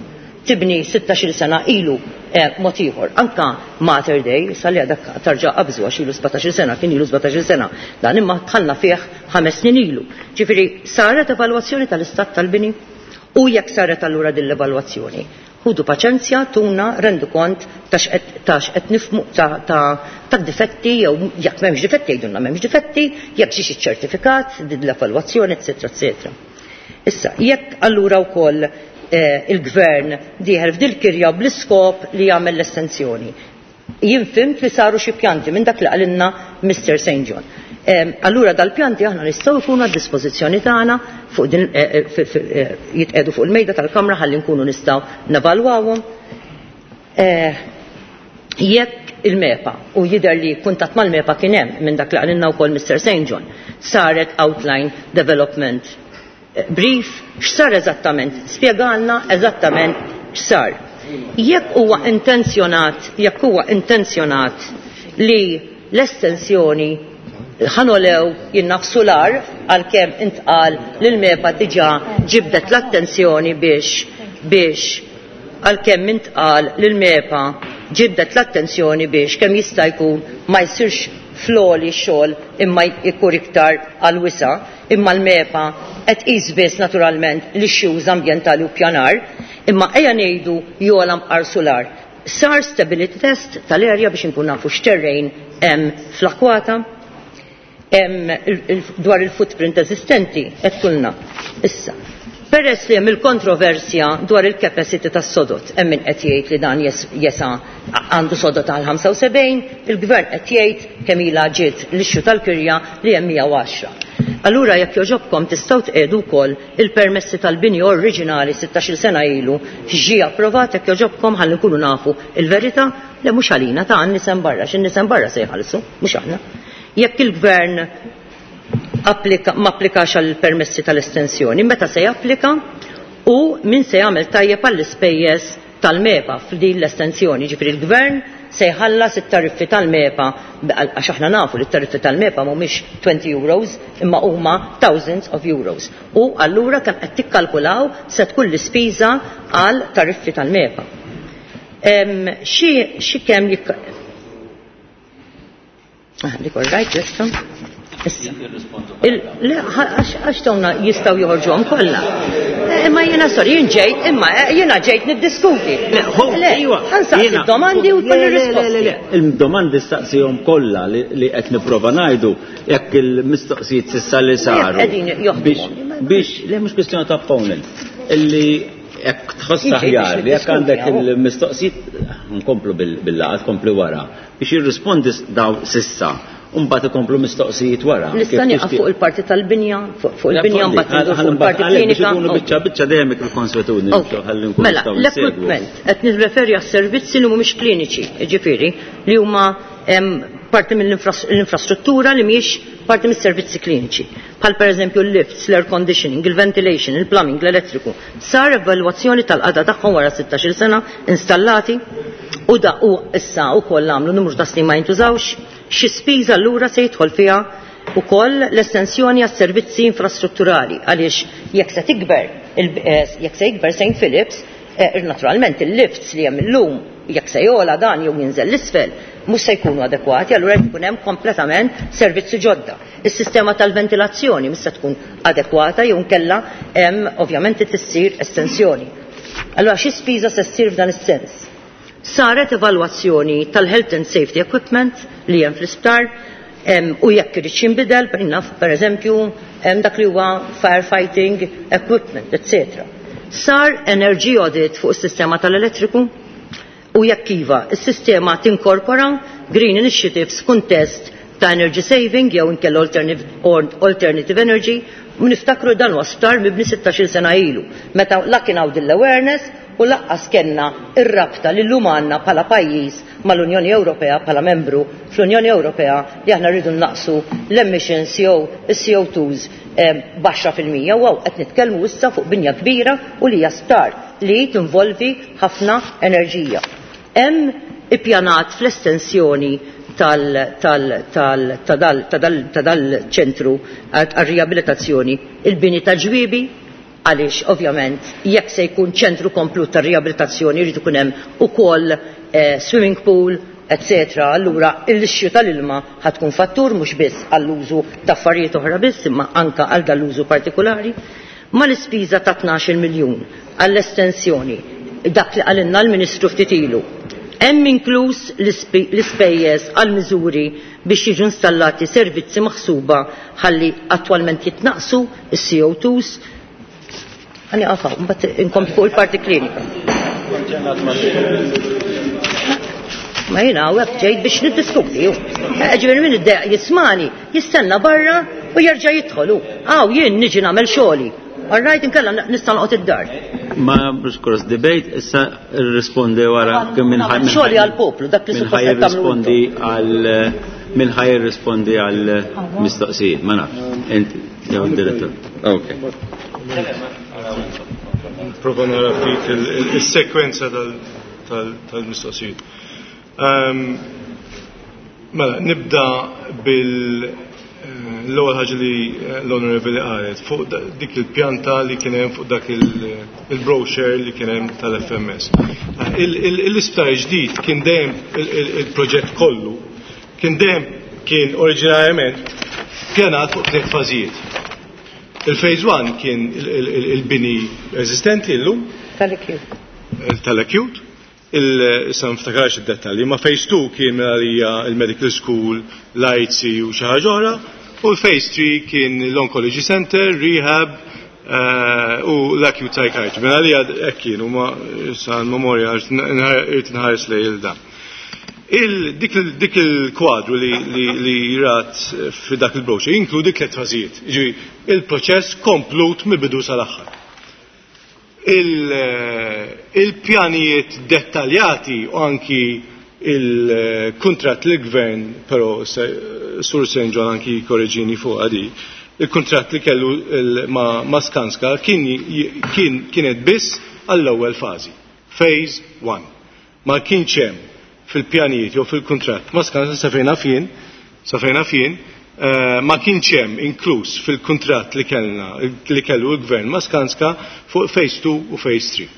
tibni sittax-il sena ilu eh, mod ieħor. Anka Mater Dei, sal-li għadak tarġa qabżu għax ilu sbatax-il sena, kien ilu sbatax-il sena. Dan imma tħallna fih ħames snin ilu. Ġifieri saret evalwazzjoni tal-istat tal-bini u jekk saret allura din l-evalwazzjoni. Ħudu paċenzja, tuna rendu kont ta' x'qed nifhmu ta' difetti jew jekk m'hemmx difetti jgħidulna m'hemmx difetti, jekk ġiex iċ-ċertifikat, din l-evalwazzjoni, eċetera, eċetera. Issa, jekk allura wkoll eh, il-gvern dieħel f'dil kirja bl-iskop li jagħmel l-estensjoni. Jien fhimt li saru xi pjanti minn dak li qalilna Mister Saint John. Allura dal-pjanti aħna nistgħu jkunu għad dispożizzjoni tagħna fuq din jitqegħdu fuq il-mejda tal-kamra ħalli nkunu nistgħu nevalwawhom. Jekk il-MEPA u jidher li kuntatt mal-MEPA kien hemm minn dak li qalilna wkoll Mister Saint John, saret outline development brief, x'sar eżattament, spjegalna eżattament x'sar. Jekk huwa intenzjonat, jekk huwa intenzjonat li l-estensjoni ħanolew jinnafsu l-ar għalkemm intqal li l-MEPA diġà ġibdet l-attenzjoni biex biex għalkemm intqal li l-MEPA ġibdet l-attenzjoni biex kemm jista' jkun ma jsirx floli xogħol imma jkun iktar għal wisa, imma l-MEPA qed tqis biss naturalment l-issues ambjentali u pjanar, imma ejja ngħidu jola mqar solar. Sar stability test tal-erja biex inkun nafu x'terrejn hemm fl-akwata, hemm dwar il-footprint eżistenti qed kulna. Issa, peress li hemm il-kontroversja dwar il-capacity tas-sodot, hemm min qed jgħid li dan jesa għandu sodot għal ħamsa u sebgħin, il-gvern qed jgħid kemm ilha ġiet l-issue tal-kirja li hemm mija u għaxra. Allura jekk joġobkom tistgħu tqiegħdu wkoll il-permessi tal-bini oriġinali sittax-il sena ilu ġie approvat jekk joġobkom ħalli nkunu nafu il-verità li mhux għalina ta' nisem barra, x'in nisem barra se jħallsu, mhux aħna. Jekk il-gvern applika, ma applikax għall permessi tal-estensjoni, meta se japplika u min se jagħmel tajjeb għall-ispejjeż tal-MEPA f'din l-estensjoni, ġifieri l-gvern se jħallas it-tariffi tal-MEPA, għax aħna nafu li t-tariffi tal-MEPA mhumiex twenty euros imma huma thousands of euros. U allura kemm qed tikkalkulaw se tkun l-ispiża għal tariffi tal-MEPA. Xi xi kemm jikk Ah, dik all right, ġesto. Issa. Għax dawna jistgħu joħorġuhom kollha. Imma jiena sorry, jien ġejt, imma jiena ġejt niddiskuti.
Le, iva.
Ħansaqsi d-domandi u jkolli risposti.
Il-domandi staqsihom kollha li qed nipprova ngħidu jekk il-mistoqsijiet s'issa li saru. Biex, le mhux kwistjoni ta' opponent. Illi jekk tħoss aħjar li jekk għandek il-mistoqsijiet nkomplu bil-laqgħa, tkompli wara biex jirrispondi daw sissa. Mbagħad ikomplu mistoqsijiet wara.
Nista' nieqaf fuq il-parti tal-binja, fuq il-binja mbagħad fuq il-parti klinika.
Biex ikunu biċċa biċċa dejjem il-konswetudni ħalli nkunu
Mela, l-equipment qed nirreferi għas-servizzi li mhumiex kliniċi, jiġifieri li huma parti mill-infrastruttura li mhijiex parti mis-servizzi kliniċi. Bħal pereżempju l-lifts, l-air conditioning, il-ventilation, il-plumbing, l-elettriku. Sar evalwazzjoni tal-qagħda tagħhom wara sittax-il sena installati u da u issa wkoll għamlu numru ta' snin ma jintużawx. Xi spiża allura se jidħol fiha wkoll l-estensjoni għas-servizzi infrastrutturali għaliex jekk se tikber jekk se jikber Saint Philips, naturalment il-lifts li hemm illum jekk se jola dan jew jinżel l-isfel mhux se jkunu adekwati, allura jkun hemm kompletament servizzi ġodda. Is-sistema tal-ventilazzjoni mhux se tkun adekwata jew nkella hemm ovvjament tissir estensjoni. Allura xi spiża se ssir f'dan is-sens? Saret evalwazzjoni tal-health and safety equipment li hemm fl-isptar u jekk irid jinbidel, per eżempju, hemm dak li huwa firefighting equipment, eccetera. Sar energy audit fuq is-sistema tal-elettriku u jekk iva, is-sistema tinkorpora green initiatives kuntest ta' energy saving jew inkella alternative energy. Niftakru dan huwa sptar mibni sittax-il sena ilu, meta la kien hawn din l-awareness u laqqas kellna ir-rabta li llum għandna bħala pajjiż mal-Unjoni Ewropea bħala membru fl-Unjoni Ewropea li aħna rridu naqsu l-emissions jew is-C O twos baxxa fil-mija u hawn qed nitkellmu issa fuq binja kbira u li hija sptar li tinvolvi ħafna enerġija. Hemm ippjanat fl-estensjoni ta' dal-ċentru għar-riabilitazzjoni il-bini ta' ġwiebi Għaliex ovvjament jekk se jkun ċentru komplut ta' riabilitazzjoni jrid ikun hemm ukoll eh, swimming pool, eccetera. Allura l-issue tal-ilma ħatkun fattur mhux biss għall-użu ta' affarijiet oħra biss, imma anka għal dal-użu partikolari. Ma l-ispiża ta' tnax-il miljun għall-estensjoni, dak li qalilna l-Ministru ftit ilu, hemm inkluż l-ispejjeż għal miżuri biex jiġu installati servizzi maħsuba ħalli attwalment jitnaqsu is-C O twos. Ħani qafaw, mbagħad inkompli fuq il-parti klinika. Ma jiena hawnhekk ġejt biex niddiskuti. Ġifieri min iddeq jismani, jistenna barra u jerġa' jidħol. Aw jien niġi nagħmel xogħli. All right, inkella nista' noqgħod id-dar.
Ma cross debate, issa rrispondi wara kemm minn ħaj.
Xogħli għall-poplu, dak li suppost qed tagħmlu.
Rispondi għal min ħaj jirrispondi għal mistoqsijiet, ma nafx. Inti jew id-direttur. Okay.
Prova nara ftit il-sekwenza tal-mistoqsijiet. Mela, nibda bil l-ewwel ħaġa li l-Onorevoli qalet fuq dik il-pjanta li kien hemm fuq dak il-brochure li kien hemm tal-F M S. L-isptar ġdid kien dejjem il-proġett kollu kien dejjem kien oriġinarjament pjanat fuq tliet fażijiet. Il-phase one kien il-bini eżistenti llum
tal-acute.
Tal-acute. Issa niftakarx id-dettalji, ma phase two kien għalija il-medical school, l-I C u xi ħaġa oħra, u l-phase three kien l-oncology center, rehab u l-acute psychiatry. Mela għalija hekk kienu, ma issa l-memorja irid nħares lejn il dan. Dik il-kwadru li rat fi dak il-brochure jinkludi tliet fażijiet, jiġifieri il-proċess komplut mill-bidu sal-aħħar. Il-pjanijiet dettaljati u anki il-kuntratt li gvern, però Sur Saint John anki korreġini fuq għadi, il-kuntratt li kellu ma' Skanska kienet biss għall-ewwel fażi, phase one. Ma kienx hemm fil-pjanijiet jew fil-kuntratt ma' Skanska sa fejna fien, sa fejna fien, ma kienx hemm inkluż fil-kuntratt li kellna li kellu l-gvern ma' Skanska fuq phase two u phase three.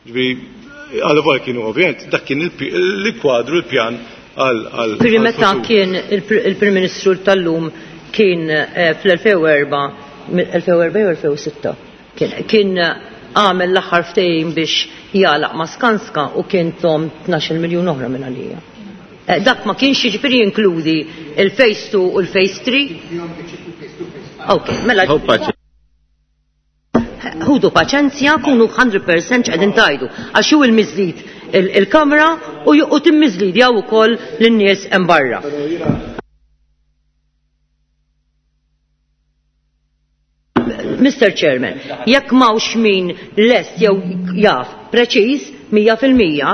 Ġifieri għal kienu ovvjament dak kien il-kwadru l-pjan għal għal.
Ġifieri meta kien il-Prim Ministru tal-lum kien fl-elfejn u erba' elfejn u erba' jew elfejn u sitta kien għamel l-aħħar ftehim biex jagħlaq ma' Skanska u kien tom tnax-il miljun oħra minn għalija. Dak ma kienx jiġifieri jinkludi il-phase two u l-phase three? Ok, mela. Ħudu paċenzja, kunu hundred percent x'qegħdin tajdu. Għax hu il-miżlid il-kamra u timmiżlid jew ukoll lin-nies hemm barra. Mister Chairman, jekk m'hawnx min lest jew jaf preċiż mija fil-mija,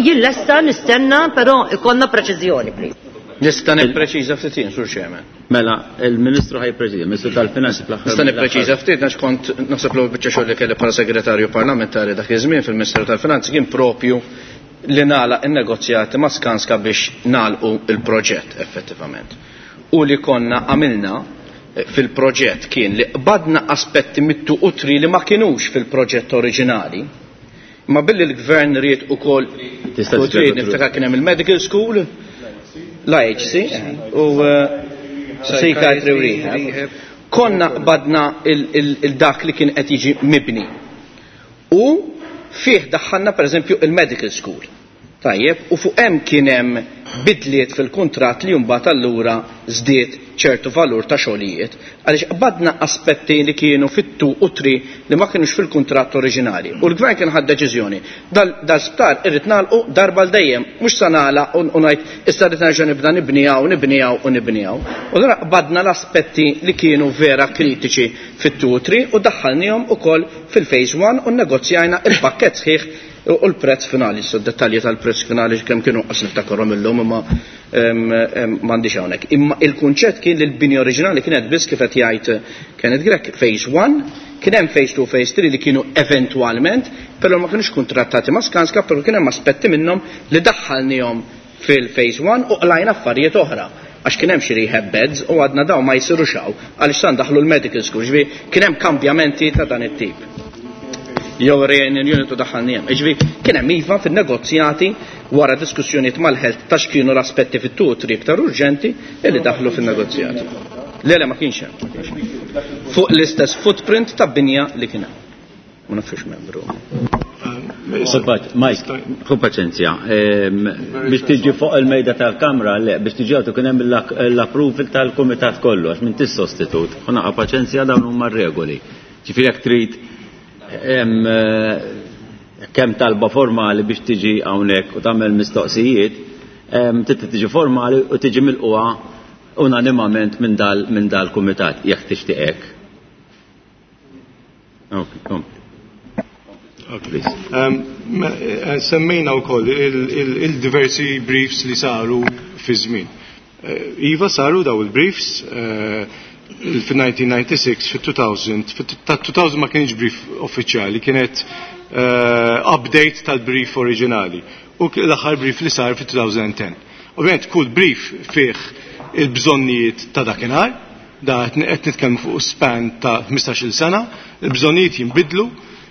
jien lesta nistenna, però ikollna preċiżjoni, please.
Nista' nippreċiża ftit jien, Sur Chairman.
Mela, il-Ministru ħaj preċiża, il-Ministru tal-Finanzi fl-aħħar.
Nista' nippreċiża ftit għax kont naħseb l-ewwel biċċa xogħol li kelli bħala segretarju parlamentari dak iż-żmien fil-Ministeru tal-Finanzi kien propju li nagħlaq in-negozjati ma' Skanska biex nagħlqu il-proġett effettivament. U li konna għamilna fil-proġett kien li qbadna aspetti mittu u tri li ma kinux fil-proġett oriġinali. Ma billi l-gvern ried ukoll u tri niftakar kien hemm il-medical school, l-I H C u psychiatry u rehab. Konna qbadna il-dak li kien qed jiġi mibni. U fih daħħalna pereżempju il-medical school. Tajjeb, u fuq hemm kien hemm bidliet fil-kuntratt li mbagħad allura żdied ċertu valur ta' xogħlijiet, għaliex qbadna aspetti li kienu fit-two u tri li ma kinux fil-kuntratt oriġinali. U l-gvern kien ħad deċiżjoni. Dal-sptar irrid nagħlqu darba l dejjem, mhux se nagħlaq u ngħid issa rrid nerġa' nibda nibnijaw, nibnijaw u nibnijaw. U allura qbadna l-aspetti li kienu vera kritiċi fit-two u tri u daħħalnihom ukoll fil-phase one u nnegozjajna il-pakkett sħiħ u l-prezz finali. So dettalji tal-prezz finali kemm kienu qas niftakarhom illum imma m'għandix hawnhekk. Imma il-kunċett kien li l-bini oriġinali kienet biss kif qed jgħid Kenneth Grech phase one, kien hemm phase two, phase three li kienu eventwalment, però ma kinux kuntrattati ma' Skanska, però kien hemm aspetti minnhom li daħħalnihom fil-phase one u qlajna affarijiet oħra. Għax kien hemm xi rehab beds u għadna daw ma jsirux hawn għaliex san daħlu l-medical school, ġifieri kien hemm kambjamenti ta' dan it-tip. Jew training unit u daħħalni hemm. Ġifieri kien hemm iva fin-negozjati wara diskussjonijiet mal-health ta' x'kienu l-aspetti fit-two iktar urġenti illi daħlu fin-negozjati. Le le ma kienx hemm. Fuq l-istess footprint ta' binja li kien hemm. Ma nafx membru.
Mike, ħu paċenzja. Biex tiġi fuq il-mejda tal-kamra, le, biex tiġi għatu kien hemm l-approval tal-kumitat kollu, għax minn tis-sostitut. Ħu paċenzja, dawn huma regoli. Ġifieri jekk trid kemm talba formali biex tiġi hawnhekk u tagħmel mistoqsijiet, trid tiġi formali u tiġi milquha unanimament minn dal minn dal-kumitat jekk tixtieq hekk. Ok, kompli.
Semmejna wkoll il-diversi briefs li saru fi żmien. Iva, saru daw il-briefs fil-elf disa' mija u disgħa u disgħin, fil-elfejn, ta' elfejn ma kienx brief uffiċjali, kienet update tal-brief oriġinali. U l-aħħar brief li sar fil-elfejn u għaxra. Ovvijament kull brief fih il-bżonnijiet ta' dakinhar, da qed nitkellmu fuq span ta' ħmistax-il sena, il-bżonnijiet jinbidlu,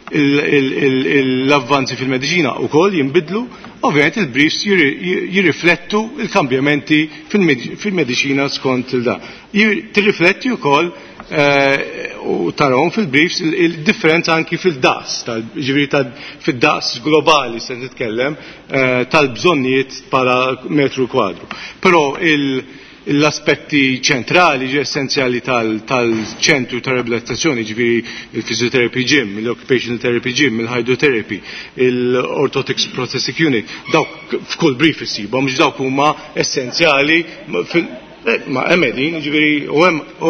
l-avvanzi fil-mediċina u koll jinbidlu, ovvijament il-briefs jirriflettu il-kambjamenti fil-mediċina skont il-da. Tirrifletti u koll eh, u tarawhom fil-briefs il-differenza anki fil-daqs, ġifieri fil-daqs globali se nitkellem, eh, tal-bżonnijiet bħala metru kwadru. Però il- l-aspetti ċentrali, essenzjali tal-ċentru ta' riabilitazzjoni, ġifieri il-physiotherapy gym, l-occupational therapy gym, il-hydrotherapy, il-orthotics prosthetic unit, dawk f'kull brief issibhom, mhux dawk huma essenzjali, eh, ma hemm qegħdin, ġifieri u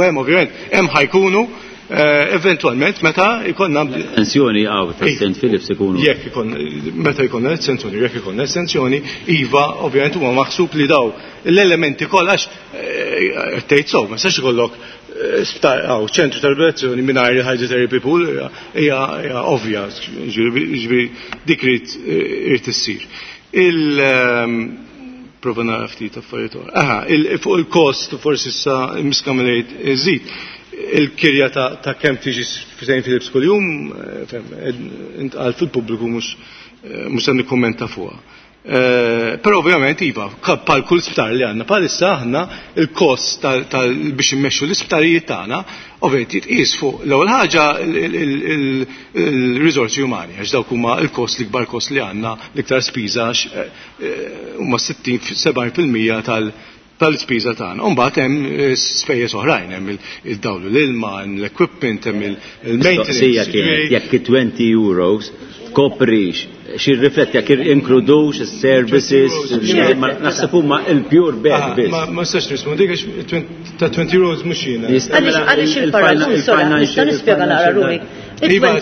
hemm ovvjament hemm ħa jkunu eh, eventualment meta jkollna
Estensjoni għaw ta' Saint Philips ikunu.
Jekk ikun meta jkollna estensjoni, jekk ikollna estensjoni, iva, ovvjament huma maħsub li daw l-elementi kollha, għax eh, tgħid so, ma sax ikollok eh, sptar għaw ċentru ta' riabilitazzjoni mingħajr hydrotherapy pool, hija ovvja, ġifieri dik irid issir. Il ehm, prova nara ftit affarijiet oħra. Aha, fuq il-kost forsi issa miskamilejt iżid il-kirja ta' kemm tiġi Saint Philips kuljum, eh, intqal fil-pubbliku, mhux mhux se nikkummenta fuqha. Eh, però ovvjament iva, bħal kull sptar li għandna bħalissa aħna, il-kost biex immexxu l-isptarijiet tagħna ovvjament jitqies fuq l-ewwel ħaġa il-riżorsi umani, għax dawk huma l-kost, l-ikbar kost li għandna, l-iktar spiża, eh, huma sittin sebgħin fil-mija tal- tal-ispiża tagħna. U mbagħad hemm eh, spejjeż oħrajn, hemm il-dawl, l-ilma, hemm l-equipment, hemm il-maintenance.
Kienet jekk twenty euros tkoprix xi rifletti, jekk inkludux is-services, naħseb huma il-pure bed ah, biss.
Ma nistax nirrispondi għax ta' twenty euros mhux jiena.
Għaliex il-paragun, nista' nispjega naqra ruħi.
Iva,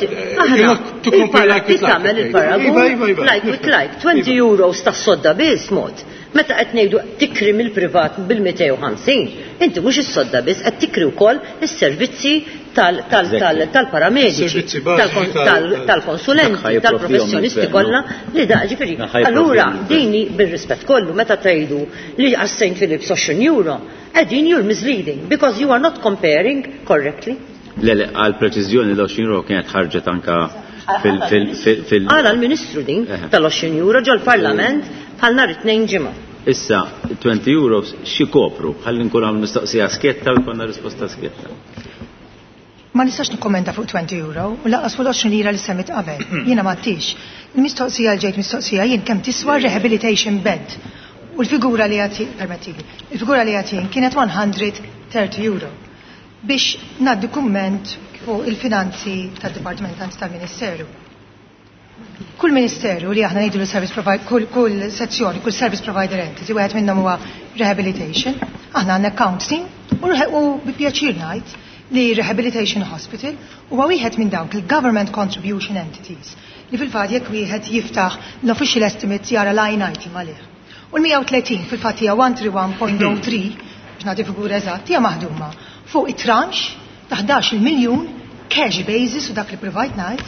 tagħmel il-paragun like with like, twenty euros ta' sodda biss mod. Meta qed ngħidu tikri mill-privat bil-mitejn u ħamsin, inti mhux is-sodda biss qed tikri, wkoll is-servizzi tal-paramediċi, tal-konsulenti, tal-professjonisti kollha li da ġifieri. Allura dini bir-rispett kollu, meta tgħidu li għas Saint Philips għoxrin euro, qegħdin you're misleading because you are not comparing correctly.
Le, le, għal preċiżjoni l-għoxrin euro kienet ħarġet anka fil- fil- fil-
Għala l-Ministru din tal-għoxrin euro ġol-Parlament bħal nhar it-Tnejn ġimgħa.
Issa, twenty euros xi kopru, ħalli nkun għam mistoqsija sketta u jkollna risposta sketta.
Ma nistax nikkommenta fuq twenty euro u lanqas fuq l-għoxrin lira li semmit qabel. Jiena ma tix. Il-mistoqsija l ġejt mistoqsija jien kemm tiswa rehabilitation bed. U l-figura li għati, permettili, il-figura li għatin kienet mija u tletin euro. Biex naddi kumment fuq il-finanzi tal-Dipartiment tal-Ministeru. Kull ministeru li aħna ngħidu service provider, kull, kull sezzjoni, kull service provider entity, wieħed minnhom huwa rehabilitation, aħna għandna account team u, u bi pjaċir ngħid li Rehabilitation Hospital huwa wieħed minn dawk il-government contribution entities li fil-fatt jekk wieħed jiftaħ l-official estimates jara line item għalih. U l-mija u tletin fil-fatt hija mija u wieħed u tletin punt zero tlieta, biex nagħti figura eżatt, hija maħduma fuq it-tranche ta' ħdax-il miljun cash basis, u dak li provide ngħid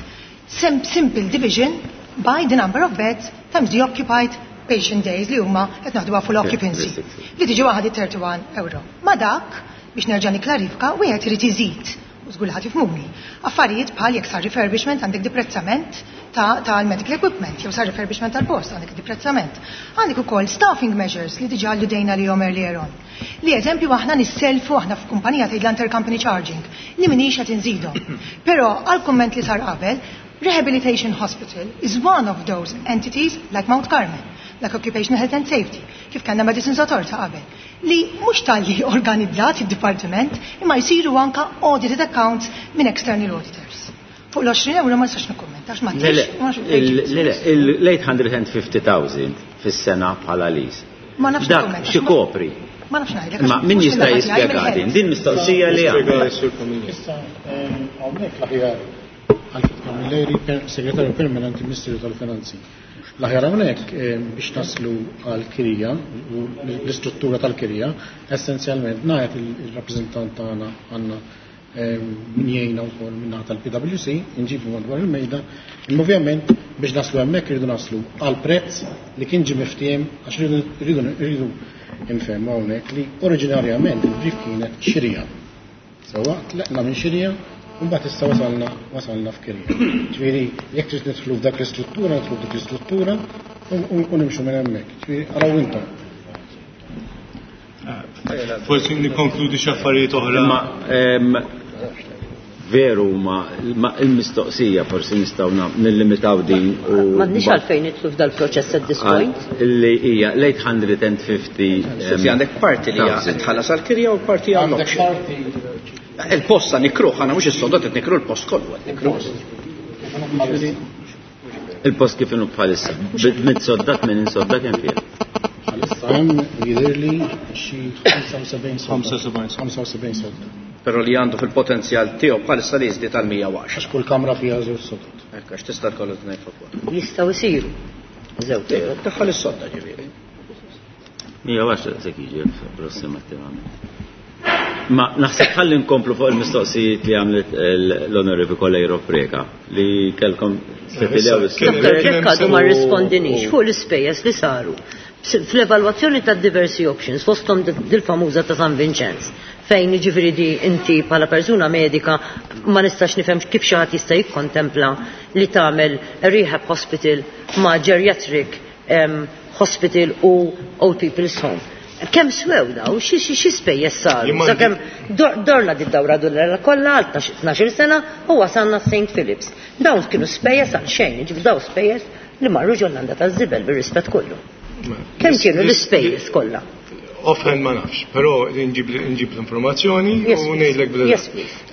simple division by the number of beds times the occupied patient days li huma qed naħduha full occupancy li tiġi waħda thirty-one euro. Ma dak, biex nerġa' niklarifika, wieħed irid iżid u żgur ħadd jifhmuni. Affarijiet bħal jekk sar refurbishment, għandek deprezzament tal-medical equipment, jew sar refurbishment tal-post, għandek deprezzament. Għandek ukoll staffing measures li diġà alludejna li jom earlier on. Li eżempju aħna nisselfu, aħna f'kumpanija tgħid l-intercompany charging li minix qed inżidhom. Però għal kumment li sar qabel, Rehabilitation Hospital is one of those entities like Mount Carmel, like Occupational Health and Safety, kif kellna Medicines Authority qabel, li mhux talli organizzat id-dipartiment imma jsiru anka audited accounts minn external auditors. Fuq l-għoxrin euro ma nistax nikkummenta għax ma
Le, le, l-eight hundred fifty thousand fis-sena bħala lease.
Ma nafx.
Dak x'ikopri?
Ma nafx ngħidlek.
Ma min jista' jispjega din? Din mistoqsija li għandha.
Issa, hawnhekk l-aħjar Alfred Camilleri, segretarju permanenti, Ministeru tal-Finanzi. L-aħjar hawnhekk biex naslu għal kirja u l-istruttura tal-kirja, essenzjalment ngħid il-rappreżentant tagħna għandna min jgħinna wkoll min-naħa tal-P W C, nġibu madwar il-mejda, imma ovvjament biex naslu hemmhekk irridu naslu għal prezz li kien ġie miftiem, għax rridu rridu nfehmu hawnhekk li oriġinarjament il-brief kienet xirija. Sewwa, tlaqna minn xirija, mbagħad issa wasalna wasalna f'kirja. Ġifieri jekk trid nidħlu f'dak l-istruttura, nidħlu f'dik l-istruttura u nimxu minn hemmhekk. Ġifieri araw intom.
Forsi nikkonkludi xi affarijiet oħra.
Ma veru, ma il-mistoqsija forsi nistgħu nillimitaw din u
M'għandniex għalfejn nidħlu f'dal-proċess at this point.
Illi hija l-eight hundred fifty.
Sofi, għandek parti li tħallas għal-kirja u parti għal Il-posta nikruh, għana mhux is-sodot qed nikru, l-post kollu qed nikruh.
Il-post kif inhu bħalissa. Mitt sodda, minn sodda kemm fih?
Bħalissa hemm jidhirli xi ħamsa u sebgħin sodda. ħamsa u sebgħin sodda.
Però li għandu fil-potenzjal tiegħu bħalissa li jiżdied għal mija u għaxra.
Għax kull kamra fiha żewġ sodod.
Hekk, għax tista' tkollu tnejn fuq.
Jistgħu jsiru. Żewġ.
Daħħal is-sodda ġifieri.
mija u għaxra se jiġi approssimattivament. Ma naħseb ħalli nkomplu fuq il-mistoqsijiet li għamlet l-Onorevoli Coleiro Preca li kellkom.
Doktor Grech għadu ma rrispondinix fuq l-ispejjeż li saru fl-evalwazzjoni ta' diversi options, fosthom dil-famuża ta' San Vincenz, fejn ġifieri di inti bħala persuna medika ma nistax nifhem kif xi ħadd jista' jikkontempla li tagħmel rehab hospital ma' geriatric um, hospital u old people's home. Kemm swew daw, xi xi spejjeż saru? Sakemm dorna di dawra dulla kollha għal tnax-il sena u wasalna Saint Philips. Dawn kienu spejjeż għal xejn, ġifieri daw spejjeż li marru ġol-landa taż-żibel, bir-rispett kollu. Kemm kienu l-ispejjeż kollha?
Offhand ma nafx, però nġib l-informazzjoni u ngħidlek.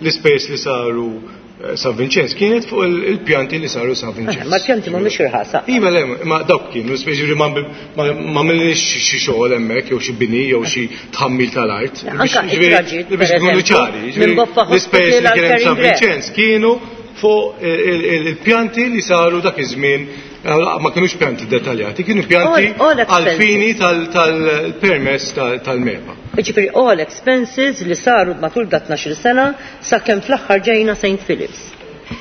L-ispejjeż li saru eh, San Vincenz kienet fuq il-pjanti li saru San Vincenz.
Eh, ma l-pjanti mhumiex irħasa.
Iva, le, ma dawk kienu, speċi ma għamilniex xi xogħol hemmhekk jew xi bini jew xi tħammil tal-art. Biex ikunu ċari. L-ispejjeż li kien San Vincenz kienu fuq il-pjanti li saru dak iż-żmien, ma kienux pjanti dettaljati, kienu pjanti għal-fini tal-permess tal-MEPA.
Ġifieri all expenses li saru matul dat tnax-il sena sakemm fl-aħħar ġejna Saint Philips.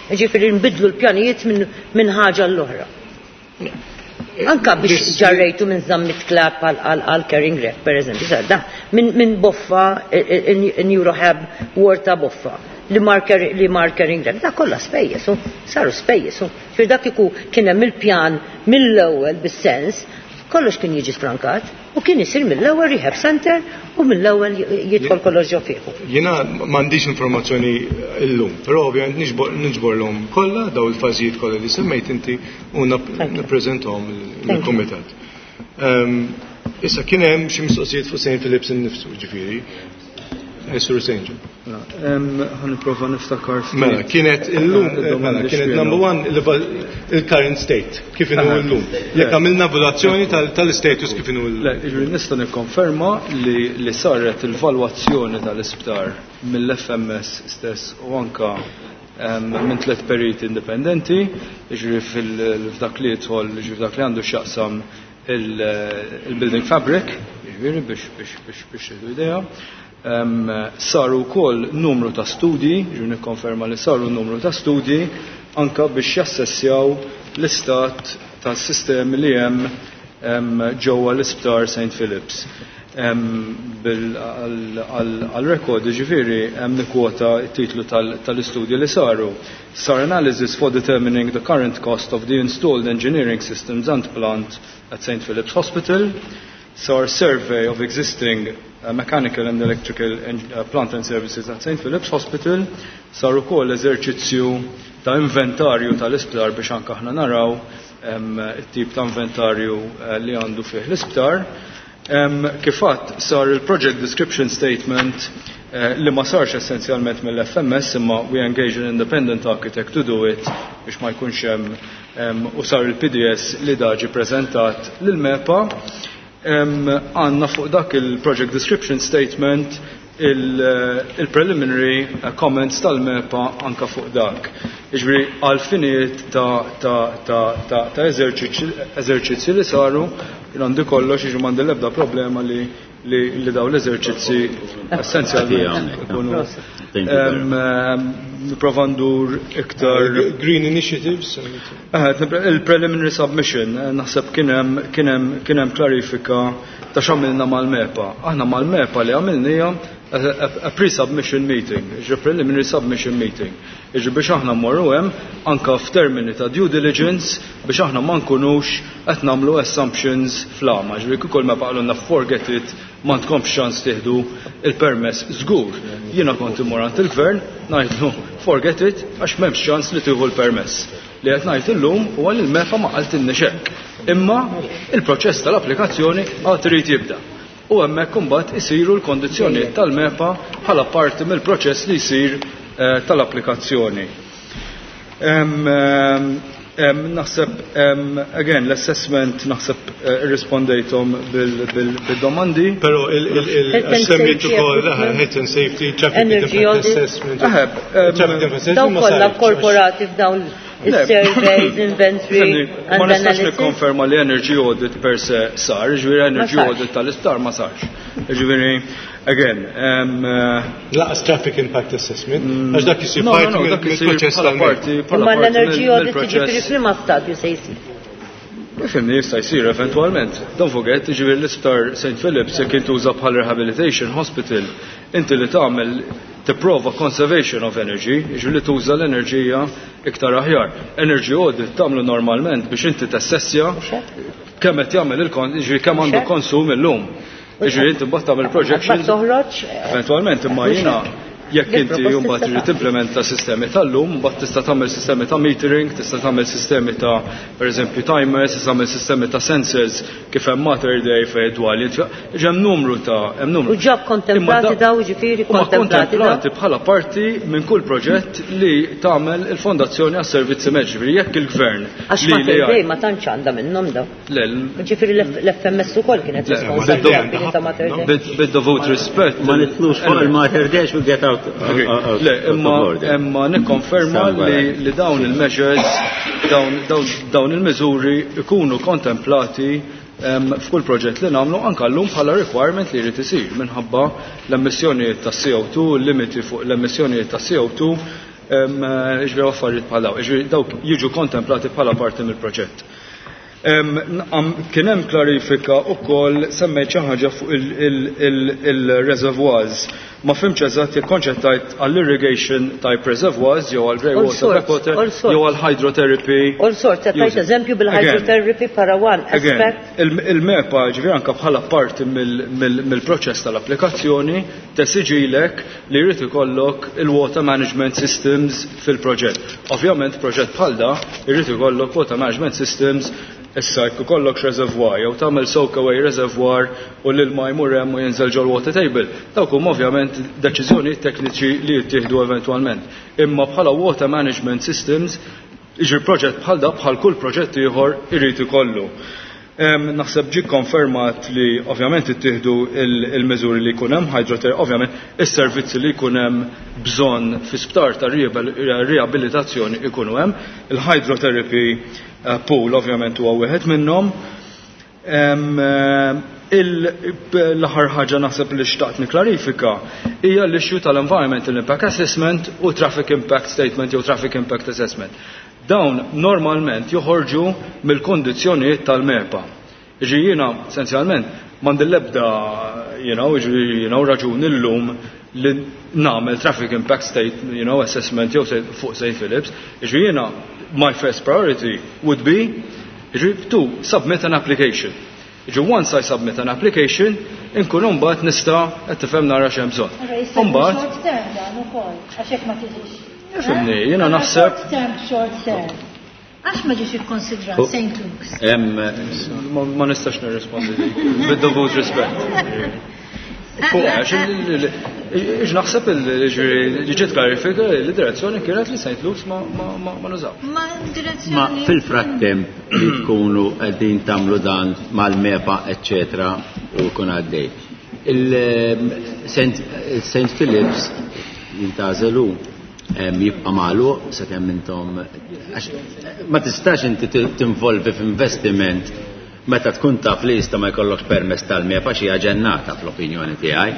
Ġifieri nbidlu l-pjanijiet minn ħaġa l-oħra. Anka biex ġarrejtu minn Zammit Clapp għal Caring Rep, per eżempju, da, minn Boffa, Neurohab, Warta Boffa, li marker li markering rep, da kollha spejjeż, saru spejjeż. Fir dak iku kien hemm il-pjan mill-ewwel bis-sens, kollox kien jiġi sfrankat u kien isir mill-ewwel rehab center u mill-ewwel jidħol kollox ġo fih.
Jiena m'għandix informazzjoni llum, però ovvjament niġborlhom kollha daw il-fażijiet kollha li semmejt inti u nippreżentahom lill-kumitat. Ehm, issa kien hemm xi mistoqsijiet fuq Saint Philips innifsu, ġifieri. Sur Saint.
Ħa nipprova niftakar.
Mela, kienet illum, mela, kienet number one, il-current state, kif inhu illum. Jekk għamilna valutazzjoni tal-status kif inhu
illum. Le, ġifieri nista' nikkonferma li li saret il-valwazzjoni tal-isptar mill-F M S stess u anka minn tliet periti indipendenti, ġifieri fil-f'dak li jidħol, ġifieri f'dak li għandu x'jaqsam il-building fabric, ġifieri biex biex biex biex idea. Um, saru wkoll numru ta' studji, ġu nikkonferma li saru numru ta' studji anka biex jassessjaw l-istat tas-sistemi li hemm. ġewwa l-Isptar Saint Philips. Għal-rekord, ġifieri, hemm nikkwota t-titlu tal-istudji li saru. Sar analysis for determining the current cost of the installed engineering systems and plant at Saint Philip's Hospital. Sar survey of existing uh, mechanical and electrical uh, plant and services at Saint Philip's Hospital. Sar ukoll eżerċizzju ta' inventarju tal-isptar biex anke aħna naraw it-tip ta' inventarju uh, li għandu fih l-isptar. Kif għadt sar il-project description statement uh, li ma sarx essenzjalment mill-F M S, imma we engage an independent architect to do it biex ma jkunx hemm, u sar il-P D S li daġi prezentat lil-MEPA. Għanna fuq dak il-project description statement il-preliminary comments tal-MEPA anka fuq dak. Jiġifieri għal-finijiet ta', ta, ta, ta, ta' eżerċizzi li saru, għandi kollox, jiġu m'għandi l-ebda problema li, li, li daw l-eżerċizzi essenzjalment ikunu. Nipprova ndur iktar
Green Initiatives.
Il-preliminary submission, naħseb kien hemm, kien hemm, kien hemm klarifika ta' x'għamilna mal-MEPA. Aħna mal-MEPA li għamilnija a, a, a pre-submission meeting, ġi preliminary submission meeting. Iġi biex aħna mmorru hemm anka f'termini ta' due diligence biex aħna ma nkunux qed nagħmlu assumptions fl-għama. Ġifieri kieku l-MEPA qalulna forget it, ma tkomx ċans tieħdu il-permess żgur. Jiena kont immur għand il-gvern ngħidlu forget it għax m'hemmx ċans li tieħu l-permess. Li qed ngħid illum huwa li l-MEPA ma qaltilniex hekk. Imma il-proċess tal-applikazzjoni għad irid jibda. U hemmhekk imbagħad isiru l-kondizzjonijiet tal-MEPA bħala parti mill-proċess li jsir, eh, tal-applikazzjoni. Em, em, em, naħseb, em, again, l-assessment naħseb, eh, irrispondejthom bil-, bil-, bil-domandi.
Però il-, il-, il-,
Health and
semmejt
safety
ukoll,
equipment.
eh, health and safety, traffic
Energy
impact
audit.
assessment.
Eħe, em,
Traffic impact assessment
Dawn
ma
kollha
sarx.
korporati f'dawn
Le.
il-surveys, inventory,
Fimni,
and
ma nistax
analysis.
nikkonferma li energy audit per se sar, ġifieri
Ma
energy
sarx.
audit tal-isptar ma sarx. Ġifieri, again, um, uh,
Laqas traffic impact assessment,
Mm.
għax dak isir
No, no,
parti
no,
mill-
dak isir
mill-proċess
bħala
tal-MEPA.
parti, bħala
Imma
parti
l-energy
mill-
audit
mill-proċess.
jiġifieri f'liema stadju se jsir?
Ifhimni, jista' jsir eventwalment. Don't forget, ġifieri l-isptar Saint Philip's jekk intuża bħal rehabilitation hospital, inti li tagħmel tipprova conservation of energy, jiġifieri li tuża l-enerġija iktar aħjar. Energy audit tagħmlu normalment biex inti tassessja kemm qed jagħmel il-kon, jiġifieri kemm għandu konsum illum. Jiġifieri inti mbagħad tagħmel projections.
Toħroġ?
Eventwalment, imma jiena jekk inti mbagħad trid timplementa sistemi tal-lum, mbagħad tista' tagħmel sistemi ta' metering, tista' tagħmel sistemi ta' pereżempju timers, tista' tagħmel sistemi ta' sensors kif hemm Mater Dei fejn dwar li ġi hemm numru ta' hemm numru.
U ġab kontemplati
Imma da-
daw, ġifieri
huma
kontemplati daw?
kontemplati bħala parti minn kull proġett li tagħmel il-Fondazzjoni għas-Servizzi Mediċi. Ġifieri jekk il-gvern
Għax
li
Mater
li
Dei
jgħid-
ma tantx għandha minnhom daw.
Le, l-
Ġifieri l-F M S ukoll kienet
Le,
responsabbli ta' Mater Dei.
Bid-, bid-dovut rispett.
Ma nitlux fuq il-Mater Dei we get out.
Okay. Le, imma, imma nikkonferma li, li dawn il-measures, dawn, dawn, dawn il-miżuri ikunu kontemplati, em, f'kull proġett li nagħmlu anke llum bħala requirement li jrid isir minħabba l-emissjonijiet ta' C O two, limiti fuq l-emissjonijiet ta' C O two, em, jiġifieri affarijiet bħal dawn, jiġifieri dawk jiġu kontemplati bħala parti mill-proġett. Em, n-, am, kien hemm klarifika wkoll semmejt xi ħaġa fuq il-, il-, il-, il-reservoirs. Ma fhimx eżatt jekk konċettajt għall-irrigation type reservoirs jew għall grey
All
water,
sorts,
black water,
all sorts.
jew għall-hydrotherapy.
All sorts, qed tgħid
Using.
eżempju bil-hydrotherapy para one
Again,
aspect.
il-, il-MEPA ġifieri anke bħala parti mill-, mill-, mill-proċess tal-applikazzjoni tesiġilek li jrid ikollok il-water management systems fil-proġett. Ovvjament proġett bħal da jrid ikollok water management systems. Issa jekk ikollok reservoir jew tagħmel soak away reservoir u l-ilma jmur hemm u jinżel ġol water table, dawk huma ovvjament deċiżjonijiet tekniċi li jittieħdu eventwalment. Imma bħala water management systems, jiġri proġett bħal da bħal kull proġett ieħor irid ikollu. Em, naħseb ġie konfermat li ovvjament ittieħdu il-, il-miżuri li jkun hemm hydrotherapy, ovvjament is-servizzi li jkun hemm bżonn fi sptar ta' riabilitazzjoni ikunu hemm. Il-hydrotherapy, eh, pool ovvjament huwa wieħed minnhom. Em, eh, il-, l-aħħar ħaġa naħseb li xtaqt niklarifika hija l-issue tal-Environmental Impact Assessment u Traffic Impact Statement jew Traffic Impact Assessment. Dawn normalment joħorġu mill-kondizzjonijiet tal-MEPA. Ġi jiena essenzjalment m'għandi l-ebda you know, you know, raġuni llum li nagħmel traffic impact state, you know, assessment jew fuq Saint Phillips. Ġi jiena my first priority would be ġi to submit an application. Ġi once I submit an application, inkun mbagħad nista' qed tifhem nara x'hemm bżonn.
Mbagħad short term dan ukoll, għax hekk ma tiġix.
Fimni, jiena naħseb
Short term, short term. Għax ma ġiex ikkonsidrat Saint Luke's?
Ma nistax nirrispondi dik, bid-dovut rispett. Fuq, għax naħseb li ġiet klarifika li direzzjoni kienet li Saint Luke's ma nużaw.
Ma direzzjoni.
Ma fil-frattemp li tkunu qegħdin tagħmlu dan mal-MEPA, eċċetera, u jkun għaddej. Il-Saint Phillips jintgħażel jibqa' magħluq sakemm intom ma tistax inti tinvolvi f'investiment meta tkun taf li jista' ma jkollokx permess tal-MEPA xi ġennata fl-opinjoni tiegħi.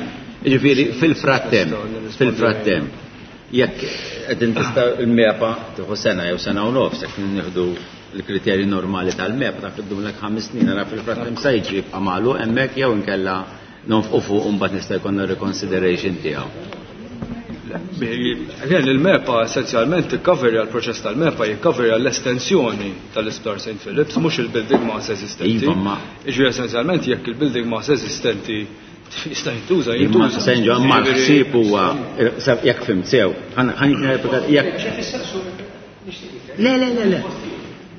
Jiġifieri fil-frattemp, fil-frattemp, jekk qegħdin tista' il-MEPA tieħu sena jew sena u nofs jekk nieħdu l-kriterji normali tal-MEPA taf iddumlek ħames snin ara fil-frattemp sa jiġri jibqa' magħluq hemmhekk jew inkella nonfqu fuq u mbagħad nista' jkollna reconsideration tiegħu.
Again, il-MEPA essenzjalment tikkoverja l-proċess tal-MEPA jikkoverja l-estensjoni tal-Isptar Saint Phillips, mhux il-building mass eżistenti.
Iva, ma
Iġri essenzjalment jekk il-building mass eżistenti jista' jintuża,
Imma
jintuża.
Senġo, ma l-ħsieb huwa jekk fimt sew, ħan jekk Le, le, le, le.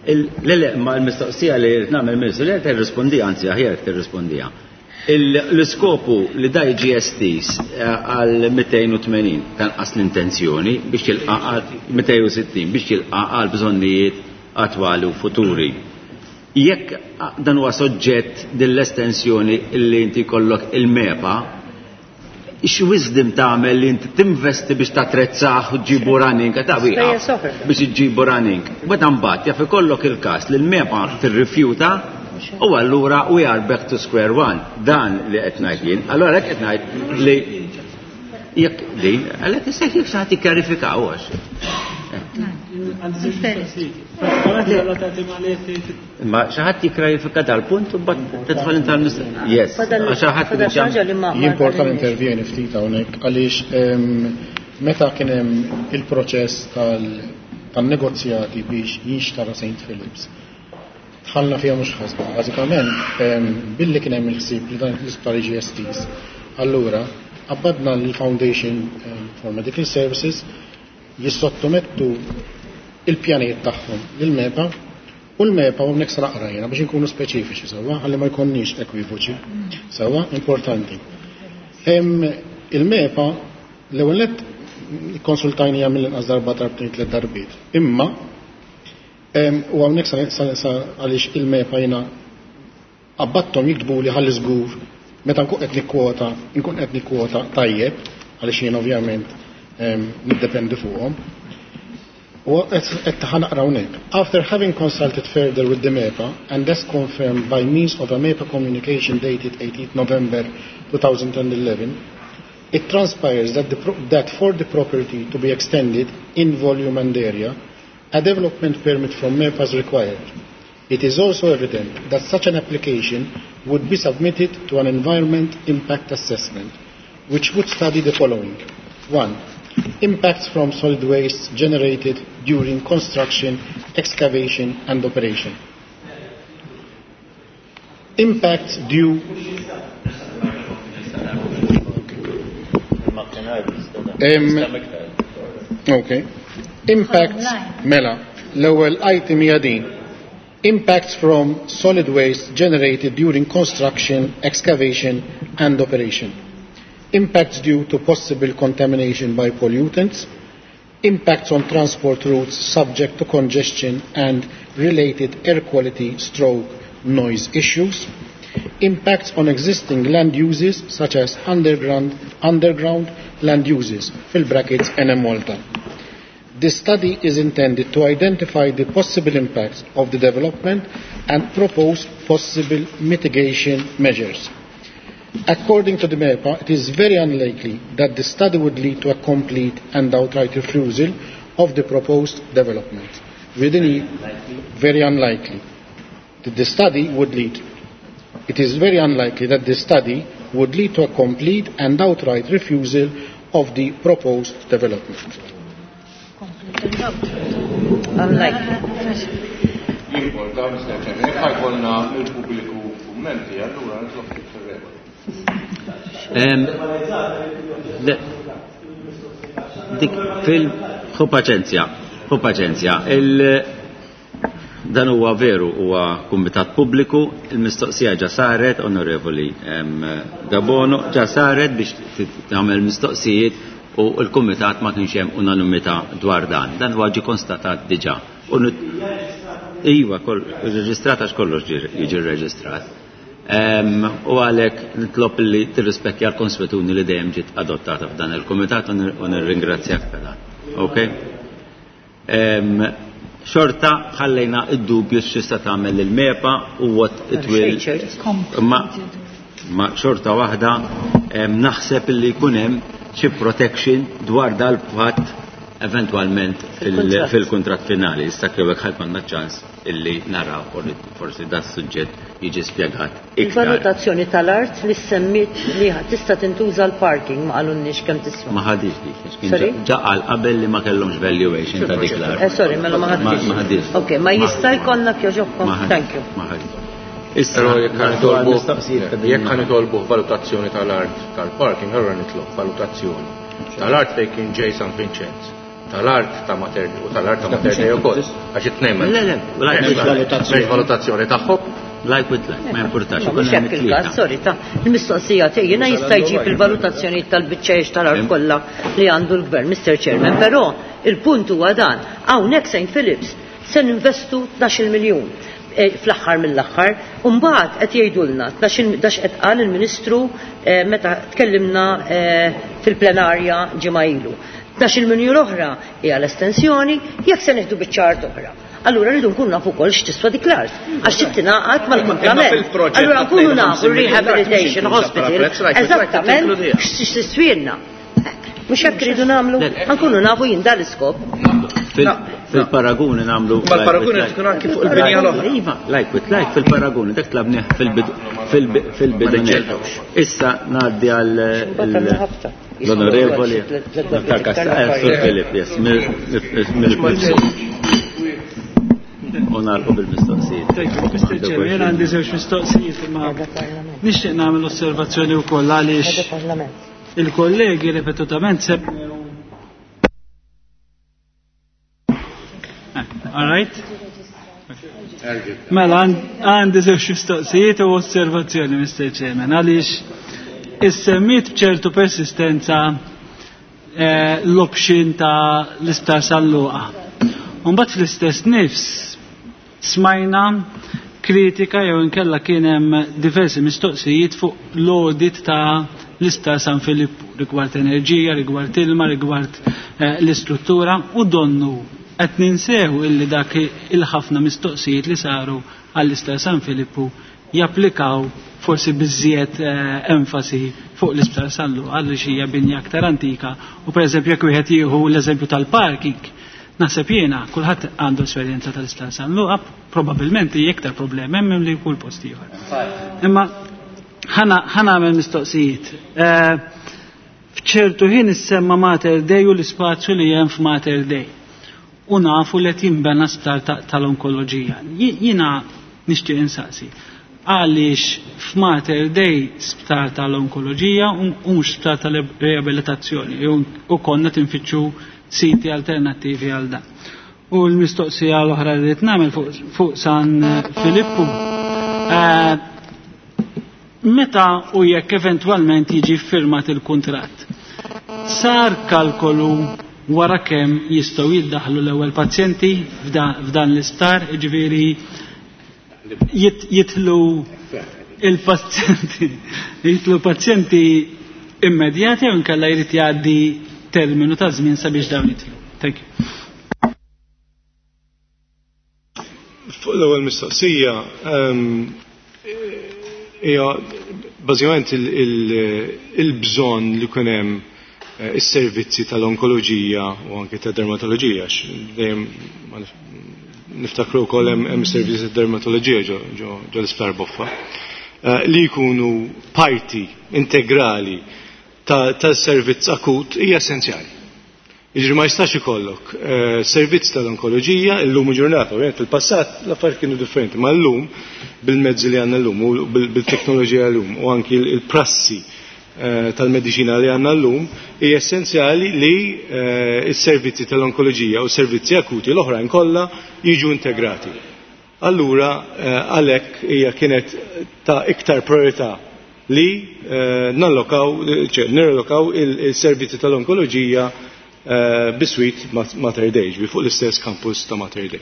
Le, le, ma l-mistoqsija li rrid nagħmel ministru li tirrispondija, anzi aħjar tirrispondija. L-iskopu li da jiġi estiż għal mitejn u tmenin tanqas l-intenzjoni biex jilqa' għal mitejn u sittin biex jilqa' għal bżonnijiet attwali u futuri. Jekk dan huwa soġġett dell-estensjoni li inti jkollok il-MEPA, x'wisdom tagħmel li inti tinvesti biex tatrezzah u ġibu running, ta' wieqaf, biex iġibu running. Meta mbagħad jaf ikollok il-każ li l-MEPA tirrifjuta u allura we are back to square one. Dan li qed ngħid jien. Allura hekk qed ngħid li jekk din, għalhekk issa jekk xi ħadd jikkjarifikaw għax. Ma xi ħadd jikkjarifika dal-punt u mbagħad tidħol inta l-mistoqsija. Yes, għax xi ħadd
Fadal xi ħaġa li ma- ma
Jimporta intervjeni ftit hawnhekk għaliex meta kien hemm il-proċess tan-negozjati biex jinxtara Saint Phillips, dħalna fiha mhux ħasba. Bażikament billi kien hemm il-ħsieb li dan l-isptar jiġi estiż, allura qabbadna l-Foundation for Medical Services jissottomettu il-pjanijiet tagħhom lill-MEPA u l-MEPA u hawnhekk se naqra jiena biex inkunu speċifiċi sewwa ħalli ma jkollniex ekwivoċi. Sewwa importanti. Il-MEPA l-ewwel nett ikkonsultajnija mill-inqas darba darbtejn tliet darbiet. Imma u hawnhekk sa għaliex il-MEPA jiena qabbatthom jiktbu li ħalli żgur meta nkun qed nikkwota, nkun qed nikkwota tajjeb għaliex jien ovvjament niddependi fuqhom. U qed ħanaqra hawnhekk. After having consulted further with the MEPA and as confirmed by means of a MEPA communication dated eighteenth November two thousand eleven, it transpires that, the pro that for the property to be extended in volume and area, a development permit from MEPA is required. It is also evident that such an application would be submitted to an environment impact assessment, which would study the following. One. Impacts from solid waste generated during construction, excavation and operation. Impacts due um, okay. Impacts mela l-ewwel item hija din. Impacts from solid waste generated during construction, excavation and operation. Impacts due to possible contamination by pollutants, impacts on transport routes subject to congestion and related air quality stroke noise issues, impacts on existing land uses such as underground, underground land uses, fill brackets N M Malta. This study is intended to identify the possible impacts of the development and propose possible mitigation measures. According to the MEPA, it is very unlikely that the study would lead to a complete and outright refusal of the proposed development. Within very unlikely that the study would lead It is very unlikely that this study would lead to a complete and outright refusal of the proposed development.
Unlikely.
Jimporta, Mister Chairman, jekk ħa jkollna il-pubbliku kummenti, allura nitlob fir-regola.
Dik fil ħu paċenzja, ħu paċenzja. Dan huwa veru, huwa kumitat pubbliku, il-mistoqsija ġa saret, Onorevoli Gabono, ġa saret biex tagħmel mistoqsijiet u l-kumitat ma kienx hemm unanimità dwar dan. Dan huwa ġie konstatat diġà. Iva, reġistrat għax kollox jiġi rreġistrat. U għalhekk nitlob li tirrispekkja l-konswetuni li dejjem ġiet adottata f'dan il-kumitat u nirringrazzjak ta' dan. Okay? Xorta ħallejna id-dubju x'tista' tagħmel il-MEPA u what it will. Ma, ma xorta waħda naħseb li jkun hemm xi protection dwar dal-fatt eventwalment fil-kuntratt finali. Issa kew hekk ħadd m'għandna ċans illi naraw forsi da suġġett jiġi spjegat iktar.
Il-valutazzjoni tal-art li semmit li tista' tintuża l-parking ma qalulniex kemm tiswa.
Ma ħadix dik, kien ġa qal qabel li ma kellhomx valuation ta' dik l-art.
Eh sorry, mela ma ħadix. Ok, ma jista' jkollna kjoġobkom. Thank you.
Ma ħadix.
Però jekk ħa nitolbu valutazzjoni tal-art tal-parking, allura nitlob valutazzjoni tal-art fejn kien ġej San Vincenz, tal-art ta' Mater u tal-art ta' Mater Dei ukoll, għax it-tnejn
Le, le,
m'hemmx valutazzjoni tagħhom.
Like with like, ma importax.
Mhux hekk il-każ, sorry, ta' il-mistoqsija tiegħi jiena jista' jġib il-valutazzjoni tal-biċċejx tal-art kollha li għandu l-gvern, Mister Chairman, però il-punt huwa dan, hawnhekk Saint Philips se ninvestu tnax-il miljun fl-aħħar mill-aħħar, u mbagħad qed jgħidulna tnax qed qal il-Ministru meta tkellimna fil-plenarja ġimgħa ilu. tnax-il miljun oħra hija l-estensjoni, jekk se nieħdu biċċa art oħra. Allura rridu nkunu nafu wkoll x'tiswa dik l-art, għax trid tingħaqad mal-kumplament. Allura nkunu nafu rehabilitation hospital eżattament x'tiswielna. Mhux hekk rridu nagħmlu, nkunu nafu jien dan l-iskop.
Fil-paraguni nagħmlu.
Mal-paraguni tkun anki fuq il-binja l-oħra.
Iva, like with like fil-paraguni, dak tlabnih fil-bidu. Issa ngħaddi għal l-Onorevoli Sur Filip, yes, mill-Mifsud. U nagħlqu bil-mistoqsijiet.
Thank you, Mister Chairman, jien għandi żewġ mistoqsijiet imma nixtieq nagħmel osservazzjoni wkoll għaliex il-kollegi ripetutament semmew. All right? Mela, għandi żewġ mistoqsijiet u osservazzjoni, Mister Chairman, għaliex issemmit b'ċertu persistenza l-option ta' l-Isptar San Luqa. Mbagħad fl-istess nifs smajna kritika jew inkella kien hemm diversi mistoqsijiet fuq l-audit ta' l-Isptar San Filippu rigward enerġija, rigward ilma, rigward l-istruttura u donnu qed ninsew illi dak il-ħafna mistoqsijiet li saru għall-Isptar San Filippu japplikaw forsi biżżejjed enfasi fuq l-Isptar San Luqa għaliex hija binja aktar antika u pereżempju jekk wieħed jieħu l-eżempju tal-parking, naħseb jiena kulħadd għandu esperjenza tal-Isptar San Luqa, probabbilment hija iktar problemi hemm li kull post ieħor. Imma ħa nagħmel mistoqsijiet. F'ċertu ħin issemma Mater Dei u l-ispazju li hemm f'Mater Dei. U nafu li qed jinbena sptar tal-onkoloġija. Jiena nixtieq insaqsi. Għaliex f'Mater Dei sptar tal-onkoloġija u mhux sptar tal-riabilitazzjoni u konna tinfittxu siti alternattivi għal dan. U l-mistoqsija l-oħra li rrid nagħmel fuq San Filippu. Meta u jekk eventwalment jiġi ffirmat il-kuntratt, sar kalkolu wara kemm jistgħu jiddaħlu l-ewwel pazjenti f'dan l-isptar, jiġifieri jitlu il-pazjenti, jitlu pazjenti immedjati jew inkella jrid jgħaddi terminu ta' żmien sabiex dawn jitlu. Thank you.
Fuq l-ewwel mistoqsija, hija bażikament il-bżonn li jkun hemm is-servizzi tal-onkoloġija u anke ta' dermatoloġija, dejjem niftakru wkoll hemm servizzi ta' dermatoloġija ġo l-Isptar Boffa. eh, li jkunu parti integrali tas-servizz akut hija essenzjali. Jiġri ma jistax ikollok eh, servizz tal-onkoloġija illum u ġurnata, ovvjament fil-passat l-affarijiet kienu differenti, ma llum bil-mezzi li għandna llum u bil-teknoloġija llum u anki il-prassi eh, tal-mediċina li għandna llum hija essenzjali li eh, s-servizzi tal-onkoloġija u s-servizzi akuti l-oħrajn kollha jiġu integrati. Allura għalhekk hija kienet ta' iktar priorità li nallokaw, nirallokaw il-servizzi tal-onkoloġija Eh, biswit Mater Dei, ġbi fuq l-istess campus ta' Mater Dei.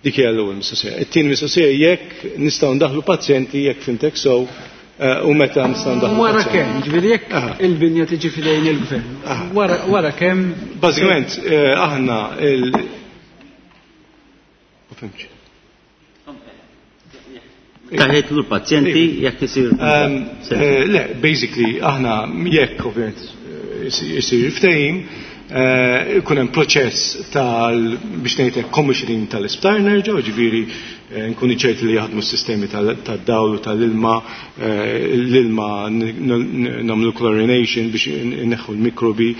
Dik hija l-ewwel mistoqsija. It-tieni mistoqsija jekk nistgħu ndaħlu pazjenti jekk fimtek sew eh, u meta nistgħu ndaħlu.
Wara kemm, ġifieri jekk il-binja tiġi f'idejn il-gvern. Wara kemm.
Bażikament eh, aħna il Ma fhimtx.
Taħetlu l-pazjenti jekk isir.
Ehm, le, basically aħna jekk ovvjament isir ftehim, ikun hemm proċess tal biex ngħidlek commissioning tal-isptar nerġgħu, ġifieri nkunu ċerti li jaħdmu s-sistemi tad-dawl u tal-ilma, l-ilma nagħmlu chlorination biex inneħħu l-mikrobi,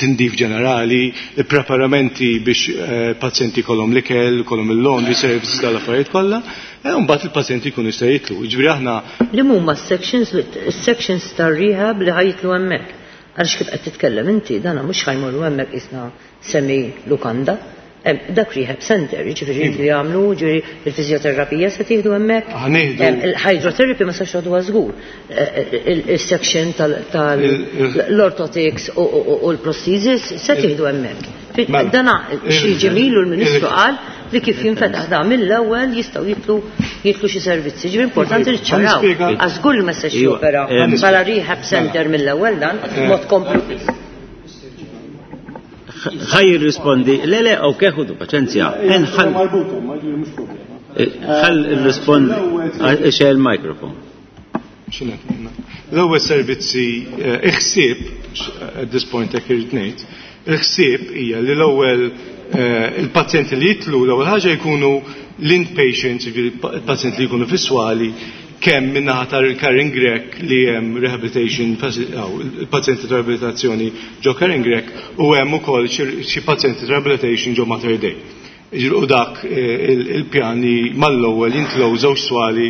tindif ġenerali, preparamenti biex pazjenti kollhom l-ikel, kollhom il-laundry services dal-affarijiet kollha, u mbagħad il-pazjenti jkunu jistgħu jitlu. Ġifieri aħna
Li huma s-sections is-sections tar-rehab li ħajtlu hemmhekk. Għaliex kif qed titkellem inti, dana mhux ħajmorru hemmhekk isna semi lukanda. Dak rehab center, jiġifieri li jagħmlu, ġifieri il-fiżjoterapija se tieħdu hemmhekk. Il-hydrotherapy ma sax tagħduha żgur. Il-section tal-orthotics u l-prosthesis se tieħdu hemmhekk. Dana xi ġemilu l-Ministru qal li kif jinfetaħ da mill-ewwel jistgħu jitlu jitlu xi servizzi. Ġifieri importanti li ċċaraw. Għax żgur li ma setax jopera bħala rehab center mill-ewwel dan mod komplu.
Ħaj jirrispondi, le le, ok, ħudu paċenzja. Ħall irrispondi, xejn il-mikrofon.
L-ewwel servizzi iħsieb, at this point hekk irid ngħid, il-ħsieb hija li l-ewwel il-pazjenti li jitlu l-ewwel ħaġa jkunu l-inpatients, il-pazjenti li jkunu fis-swali, kemm min-naħa tal-Karin Grech li hemm rehabilitation, il-pazjenti ta' rehabilitazzjoni ġo Karin Grech u hemm ukoll xi pazjenti ta' rehabilitation ġo Mater Dei. U dak il-pjani mal-ewwel jintlew żewġ swali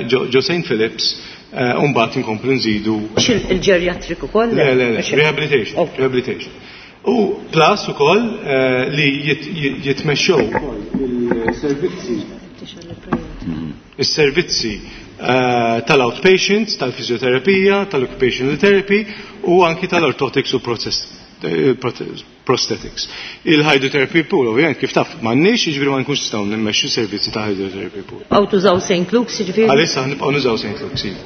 ġo Saint Philips u mbagħad inkomplu nżidu.
Il-ġeriatrik ukoll?
Le, le, le, rehabilitation, rehabilitation. U plus ukoll li jitmexxew ukoll il-servizzi is-servizzi tal-outpatients, tal-fizjoterapija, tal-occupational therapy u anki tal-orthotics u prosthetics. Il-hydrotherapy pool, ovvjament, kif taf, m'għandniex, jiġifieri ma nkunx nistgħu nimmexxu servizzi ta' hydrotherapy pool.
Għaw tużaw Saint Luke's, jiġifieri?
Għalissa nibqgħu nużaw Saint Luke's, iva.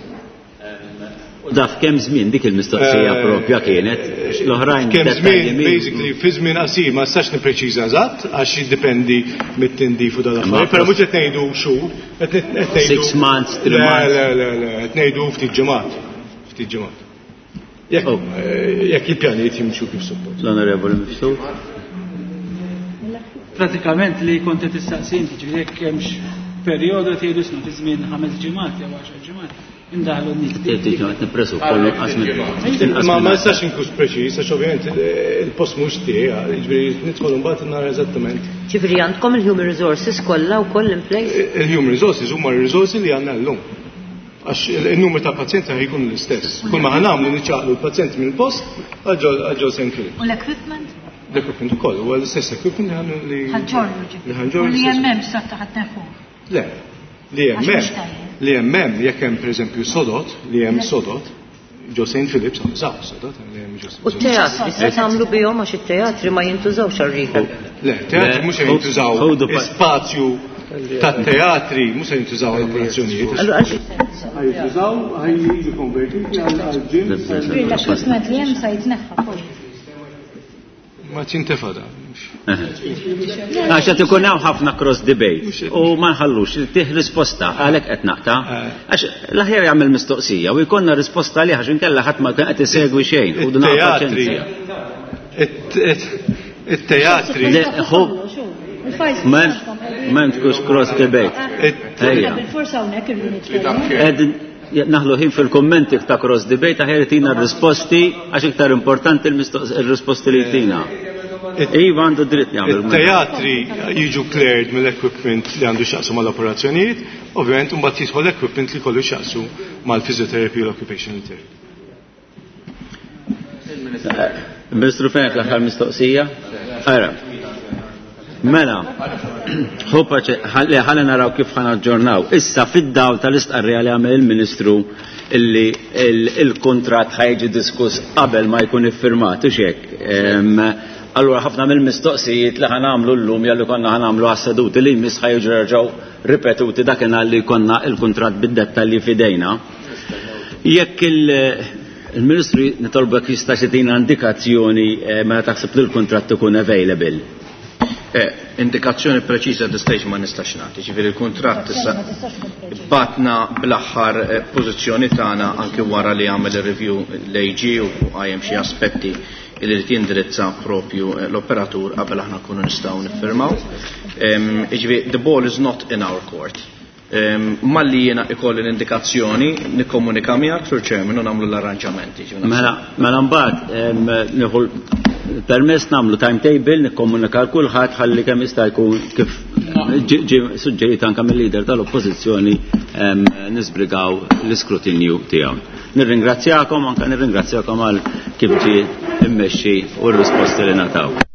U daf kemm żmien dik il-mistoqsija propja kienet, l-oħrajn
kemm żmien, basically, fi żmien qasir ma nistax nippreċiża eżatt għax jiddependi mit-tindif u dal-affarijiet, però mhux qed ngħidu xhur, qed ngħidu
six months, three months.
Le, le, le, qed ngħidu ftit ġimgħat, ftit ġimgħat. Jekk jekk il-pjanijiet jimxu kif suppost.
L-Onorevoli Mifsud.
Pratikament li kont qed tistaqsi inti, ġifieri jekk hemmx perjodu tgħidu snu fi żmien ħames ġimgħat jew għaxar ġimgħat. Indaħlu n-nies.
Ma ma nistax inkun preċiż, għax ovvjament il-post mhux tiegħi, jiġifieri nidħol imbagħad nara eżattament.
Ġifieri għandkom il-human resources kollha wkoll in place?
Il-human resources huma r-risorsi li għandna llum. Għax il-numru ta' pazjenti ħajkun l-istess. Kull ma ħanamlu niċċaqlu l-pazjenti mill-post għal ġol Saint Philip.
U l-equipment?
L-equipment ukoll, huwa l-istess equipment li ħannu li
ħanġorru ġifieri. U li hemm hemm sa taħt neħu.
Le, li hemm hemm. Li hemm hemm jekk hemm pereżempju sodot, li hemm sodot, ġo Saint Philips użaw sodot li hemm ġo.
U t-teatri se tagħmlu bihom għax it-teatri ma jintużawx għar-rehab.
Le, teatri mhux se jintużaw spazju tat-teatri mhux se jintużaw għal operazzjonijiet.
Allura għalx
jintużaw ħaj jiġu konvertiti għal gym.
L-equipment li hemm se jitneħħa kollu.
Ma ċintefada.
Għax qed ikun hawn ħafna cross debate u ma nħallux tih risposta għalhekk qed naqta'. Għax l-aħjar jagħmel mistoqsija u jkollna risposta għalih għax inkella ħadd ma kien qed isegwi xejn u dun paċenzja.
It-teatri.
Ma tkunx cross debate. Ejja.
Bil-forsa hawnhekk irridu nitkellmu.
Naħlu ħin fil-kommenti ta' cross debate, aħjar tina r-risposti, għax iktar importanti il-risposti li tina. Iva għandu dritt jagħmel.
It-teatri jiġu cleared mill-equipment li għandu x'jaqsmu mal-operazzjonijiet, ovvjament mbagħad jidħol l-equipment li kollu x'jaqsmu mal-physiotherapy u l-occupational therapy.
Ministru Fenech, l-aħħar mistoqsija? Ara. Mela, ħalli naraw kif ħa naġġornaw. Issa fid-dawl tal-istqarrija li għamel il-Ministru illi il-kontrat ħa jiġi diskuss qabel ma jkun iffirmat, u hekk. Allura ħafna mill-mistoqsijiet li ħa nagħmlu llum jew li konna ħa nagħmlu għas-seduti li jmiss ħa jiġu jerġgħu ripetuti dakinhar li konna il-kuntratt bid-dettalji f'idejna. Jekk il-Ministru nitolbek jista' jagħtina indikazzjoni meta taħseb li l-kuntratt ikun available.
Eh, indikazzjoni preċiża at this stage ma nistax nagħti, ġifieri il-kuntratt issa batna bl-aħħar pożizzjoni tagħna anke wara li għamel ir-review l-A G u qajjem xi aspetti li rid jindirizza propju l-operatur qabel aħna nkunu nistgħu niffirmaw. Ġifieri the ball is not in our court. Malli jiena ikolli l-indikazzjoni nikkomunika miegħek, Sur Chairman, u nagħmlu l-arranġamenti.
Mela, mela mbagħad nieħu permess nagħmlu timetable, nikkomunika l kulħadd ħalli kemm jista' jkun, kif ġi suġġerit anke mill-leader tal-Oppożizzjoni, nisbrigaw l-iskrutinju tiegħu. Nirringrazzjakom, anke nirringrazzjakom għal kif ġie immexxi u r-risposti li ngħataw.